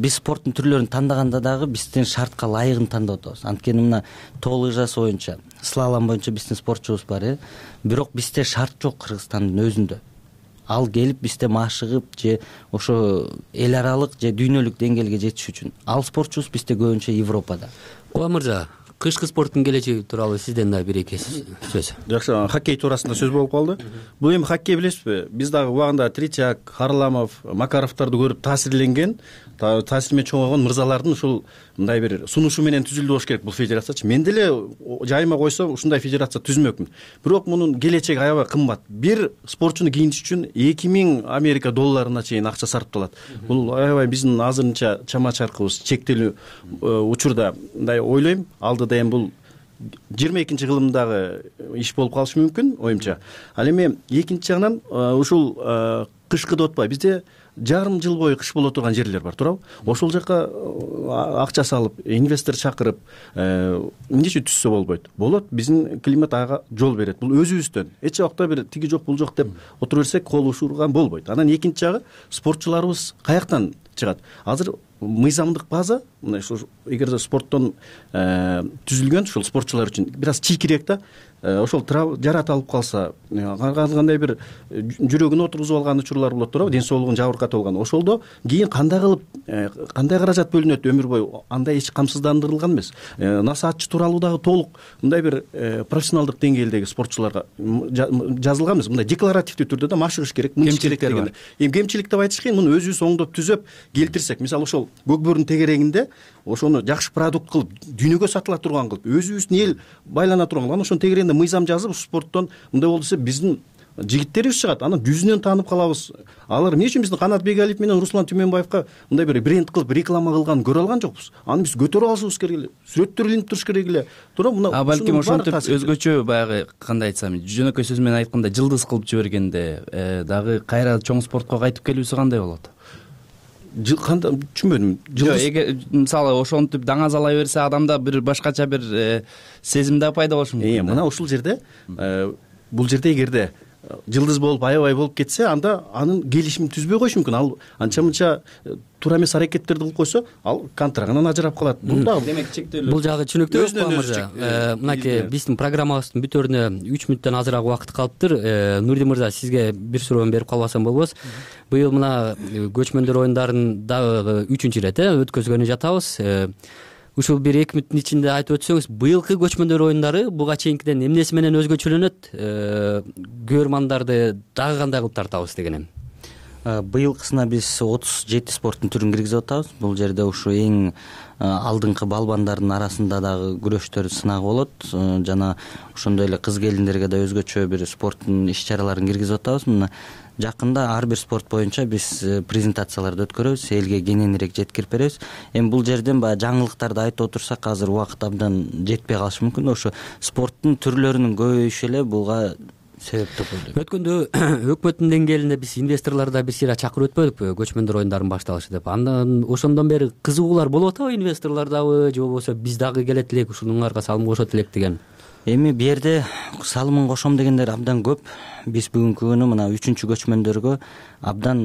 биз спорттун түрлөрүн тандаганда дагы биздин шартка ылайыгын тандап атабыз. Анткени мына тоо лыжасы боюнча, слалом боюнча биздин спортчубуз бар, бирок бизде шарт жок Кыргызстандын өзүндө. Ал келип бизде машыгып же ошо эл аралык же дүйнөлүк деңгээлге жетиш үчүн. Ал спортчубуз бизде көбүнчө Европада. Кубан мырза, кышкы спорттун келечеги тууралуу сизден да бир эки сөз. Жакшы, хоккей туурасында сөз болуп калды. Бул эми хоккей билесизби? Биз дагы убагында Тричак, Харламов, Макаровдорду көрүп таасирленген, таасир менен чоңойгон мырзалардын ушул мындай бир сунушу менен түзүлдү болуш керек бул федерациячы. Мен деле жайыма койсом ушундай федерация түзмөкмүн. Бирок мунун келечеги аябай кымбат. Бир спортчуну кийинтиш үчүн 2000 Америка долларына чейин акча сарпталат. Бул аябай биздин азырынча чама чаркыбыз чектелүү учурда мындай ойлойм. Алдыда эми бул 22 кылымдагы иш болуп калышы мүмкүн оюмча. Ал эми экинчи жагынан ушул кышкы деп атпайбы, бизде жарым жыл бою кыш боло турган жерлер бар, туурабы? Ошол жака акча салып, инвестор чакырып, эмнече түзсө болбойт? Болот, биздин климат ага жол берет. Бул өзүбүздөн эч убакта бир тиги жок, бул жок деп отура берсек кол ушурган болбойт. Анан экинчи жагы спортчуларыбыз каяктан чыгат? Азыр мыйзамдык база, мына ушу эгерде спорттон түзүлгөн ушул спортчулар үчүн бир аз чийкирээк да, ошол жарат алып калса, кандай бир жүрөгүн отургузуп алган учурлар болот, туурабы? Ден соолугун жабыркатып алган. Ошолдо кийин кандай кылып, кандай каражат бөлүнөт өмүр бою, андай эч камсыздандырылган эмес. Насаатчы тууралуу дагы толук мындай бир профессионалдык деңгээлдеги спортчуларга жазылган эмес. Мындай декларативдүү түрдө да машыгыш керек, мынча керек деген. Эми кемчилик деп айтыш кыйын, муну өзүбүз оңдоп түзөп келтирсек, мисалы ошол көкбөрүнүн тегерегинде ошону жакшы продукт кылып, дүйнөгө сатыла турган кылып, өзүбүздүн эл байлана турган кылып, ошонун тегерегинде мыйзам жазып, спорттон мындай болду десе биздин жигиттерибиз чыгат, анан жүзүнөн таанып калабыз. Алар эмне үчүн биздин Канат Бегалиев менен Руслан Түмөнбаевка мындай бир бренд кылып реклама кылганын көрө алган жокпуз. Аны биз көтөрүп алышыбыз керек эле, сүрөттөр илинип туруш керек эле. Туура, мына балким ошентип өзгөчө баягы кандай айтсам, жөнөкөй сөз менен айтканда жылдыз кылып жибергенде дагы кайра чоң спортко кайтып келүүсү кандай болот? Кандай түшүнбөдүм. Эгер мисалы ошентип даңазалай берсе, адамда бир башкача бир сезим да пайда болушу мүмкүн. Мына ушул жерде бул жерде эгерде жылдыз болуп аябай болуп кетсе, анда анын келишимин түзбөй коюшу мүмкүн. Ал анча-мынча туура эмес аракеттерди кылып койсо, ал контрагынан ажырап калат. Бул дагы демек чектелүү. Бул жагы түшүнүктүү болуп мырза. Мынакей биздин программабыздын бүтөрүнө 3 мүнөттөн азыраак убакыт калыптыр. Нурдин мырза, сизге бир суроону берип калбасам болбос. Быйыл мына көчмөндөр оюндарын дагы 3-үncү ирет өткөзгөнү жатабыз. Ушул бир 2 мүнөттүн ичинде айтып өтсөңүз, быйылкы көчмөндөр оюндары буга чейинкиден эмнеси менен өзгөчөлөнөт? Көрөрмандарды дагы кандай кылып тартабыз дегенем. Быйылкысына биз 37 спорттун түрүн киргизип атабыз. Бул жерде ушу эң алдыңкы балбандардын арасында дагы күрөштөр сынагы болот. Жана ошондой эле кыз келиндерге да өзгөчө бир спорттун иш-чараларын киргизип атабыз. Мына жакында ар бир спорт боюнча биз презентацияларды өткөрөбүз, элге кененирээк жеткирип беребиз. Эми бул жерден баягы жаңылыктарды айтып отурсак, азыр убакыт абдан жетпей калышы мүмкүн. Ошо спорттун түрлөрүнүн көбөйүшү эле буга себеп деп ойлойм. Өткөндө өкмөттүн деңгээлинде биз инвесторлорду бир сыйра чакырып өтпөдүкпү, көчмөндөр оюндарынын башталышы деп. Андан ошондон бери кызыгуулар болуп атабы, инвесторлордобу же болбосо биз дагы келет элек, ушунуңарга салым кошот элек деген. Эми бу жерде салымын кошом дегендер абдан көп. Биз бүгүнкү күнү мына 3-чү көчмөндөргө абдан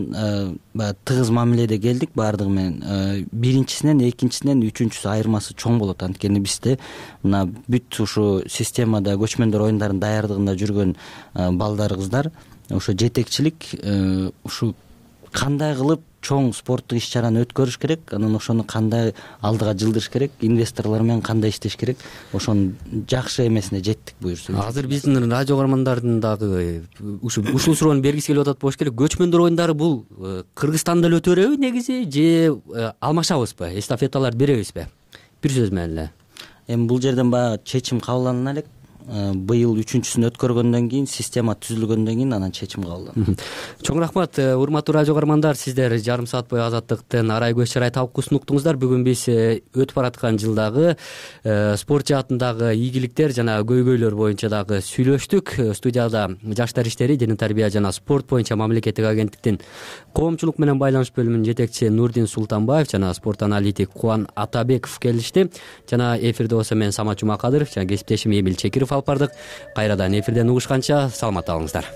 тыгыз мамиледе келдик баардыгы менен. Биринчисинен, экинчисинен, үчүнчүсү айырмасы чоң болот. Анткени бизде мына бүт ушу системада көчмөндөр оюндарын даярдыгында жүргөн балдар, кыздар, ошо жетекчилик ушу кандай кылып чоң спорттук иш-чараны өткөрүш керек, анан ошону кандай алдыга жылдырыш керек, инвесторлор менен кандай иштеш керек, ошонун жакшы эмесине жеттик буюрса. Азыр биздин радио каармандардын дагы ушул суроону бергиси келип атат болуш керек. Көчмөндөр оюндары бул Кыргызстанда эле өтө береби негизи, же алмашабызбы, эстафеталар беребизби? Бир сөз менен эле. Эми бул жерден баягы чечим кабыл алына элек. быйыл 3-сүн өткөргөндөн кийин, система түзүлгөндөн кийин анан чечим кабылданат. Чоң рахмат, урматтуу радио каармандар. Сиздер жарым саат бою Азаттыктын арай көз чарай талкуусун уктуңуздар. Бүгүн биз өтүп бараткан жылдагы спорт жаатындагы ийгиликтер жана көйгөйлөр боюнча дагы сүйлөштүк. Студияда жаштар иштери, дене тарбия жана спорт боюнча мамлекеттик агенттиктин коомчулук менен байланыш бөлүмүнүн жетекчиси Нурдин Султанбаев жана спорт аналитик Кубан Атабеков келишти. Жана эфирде болсо мен Самат Жумакадыров жана кесиптешим Эмил Чекиров алып бардык. Кайрадан эфирден угушканча саламатта болуңуздар.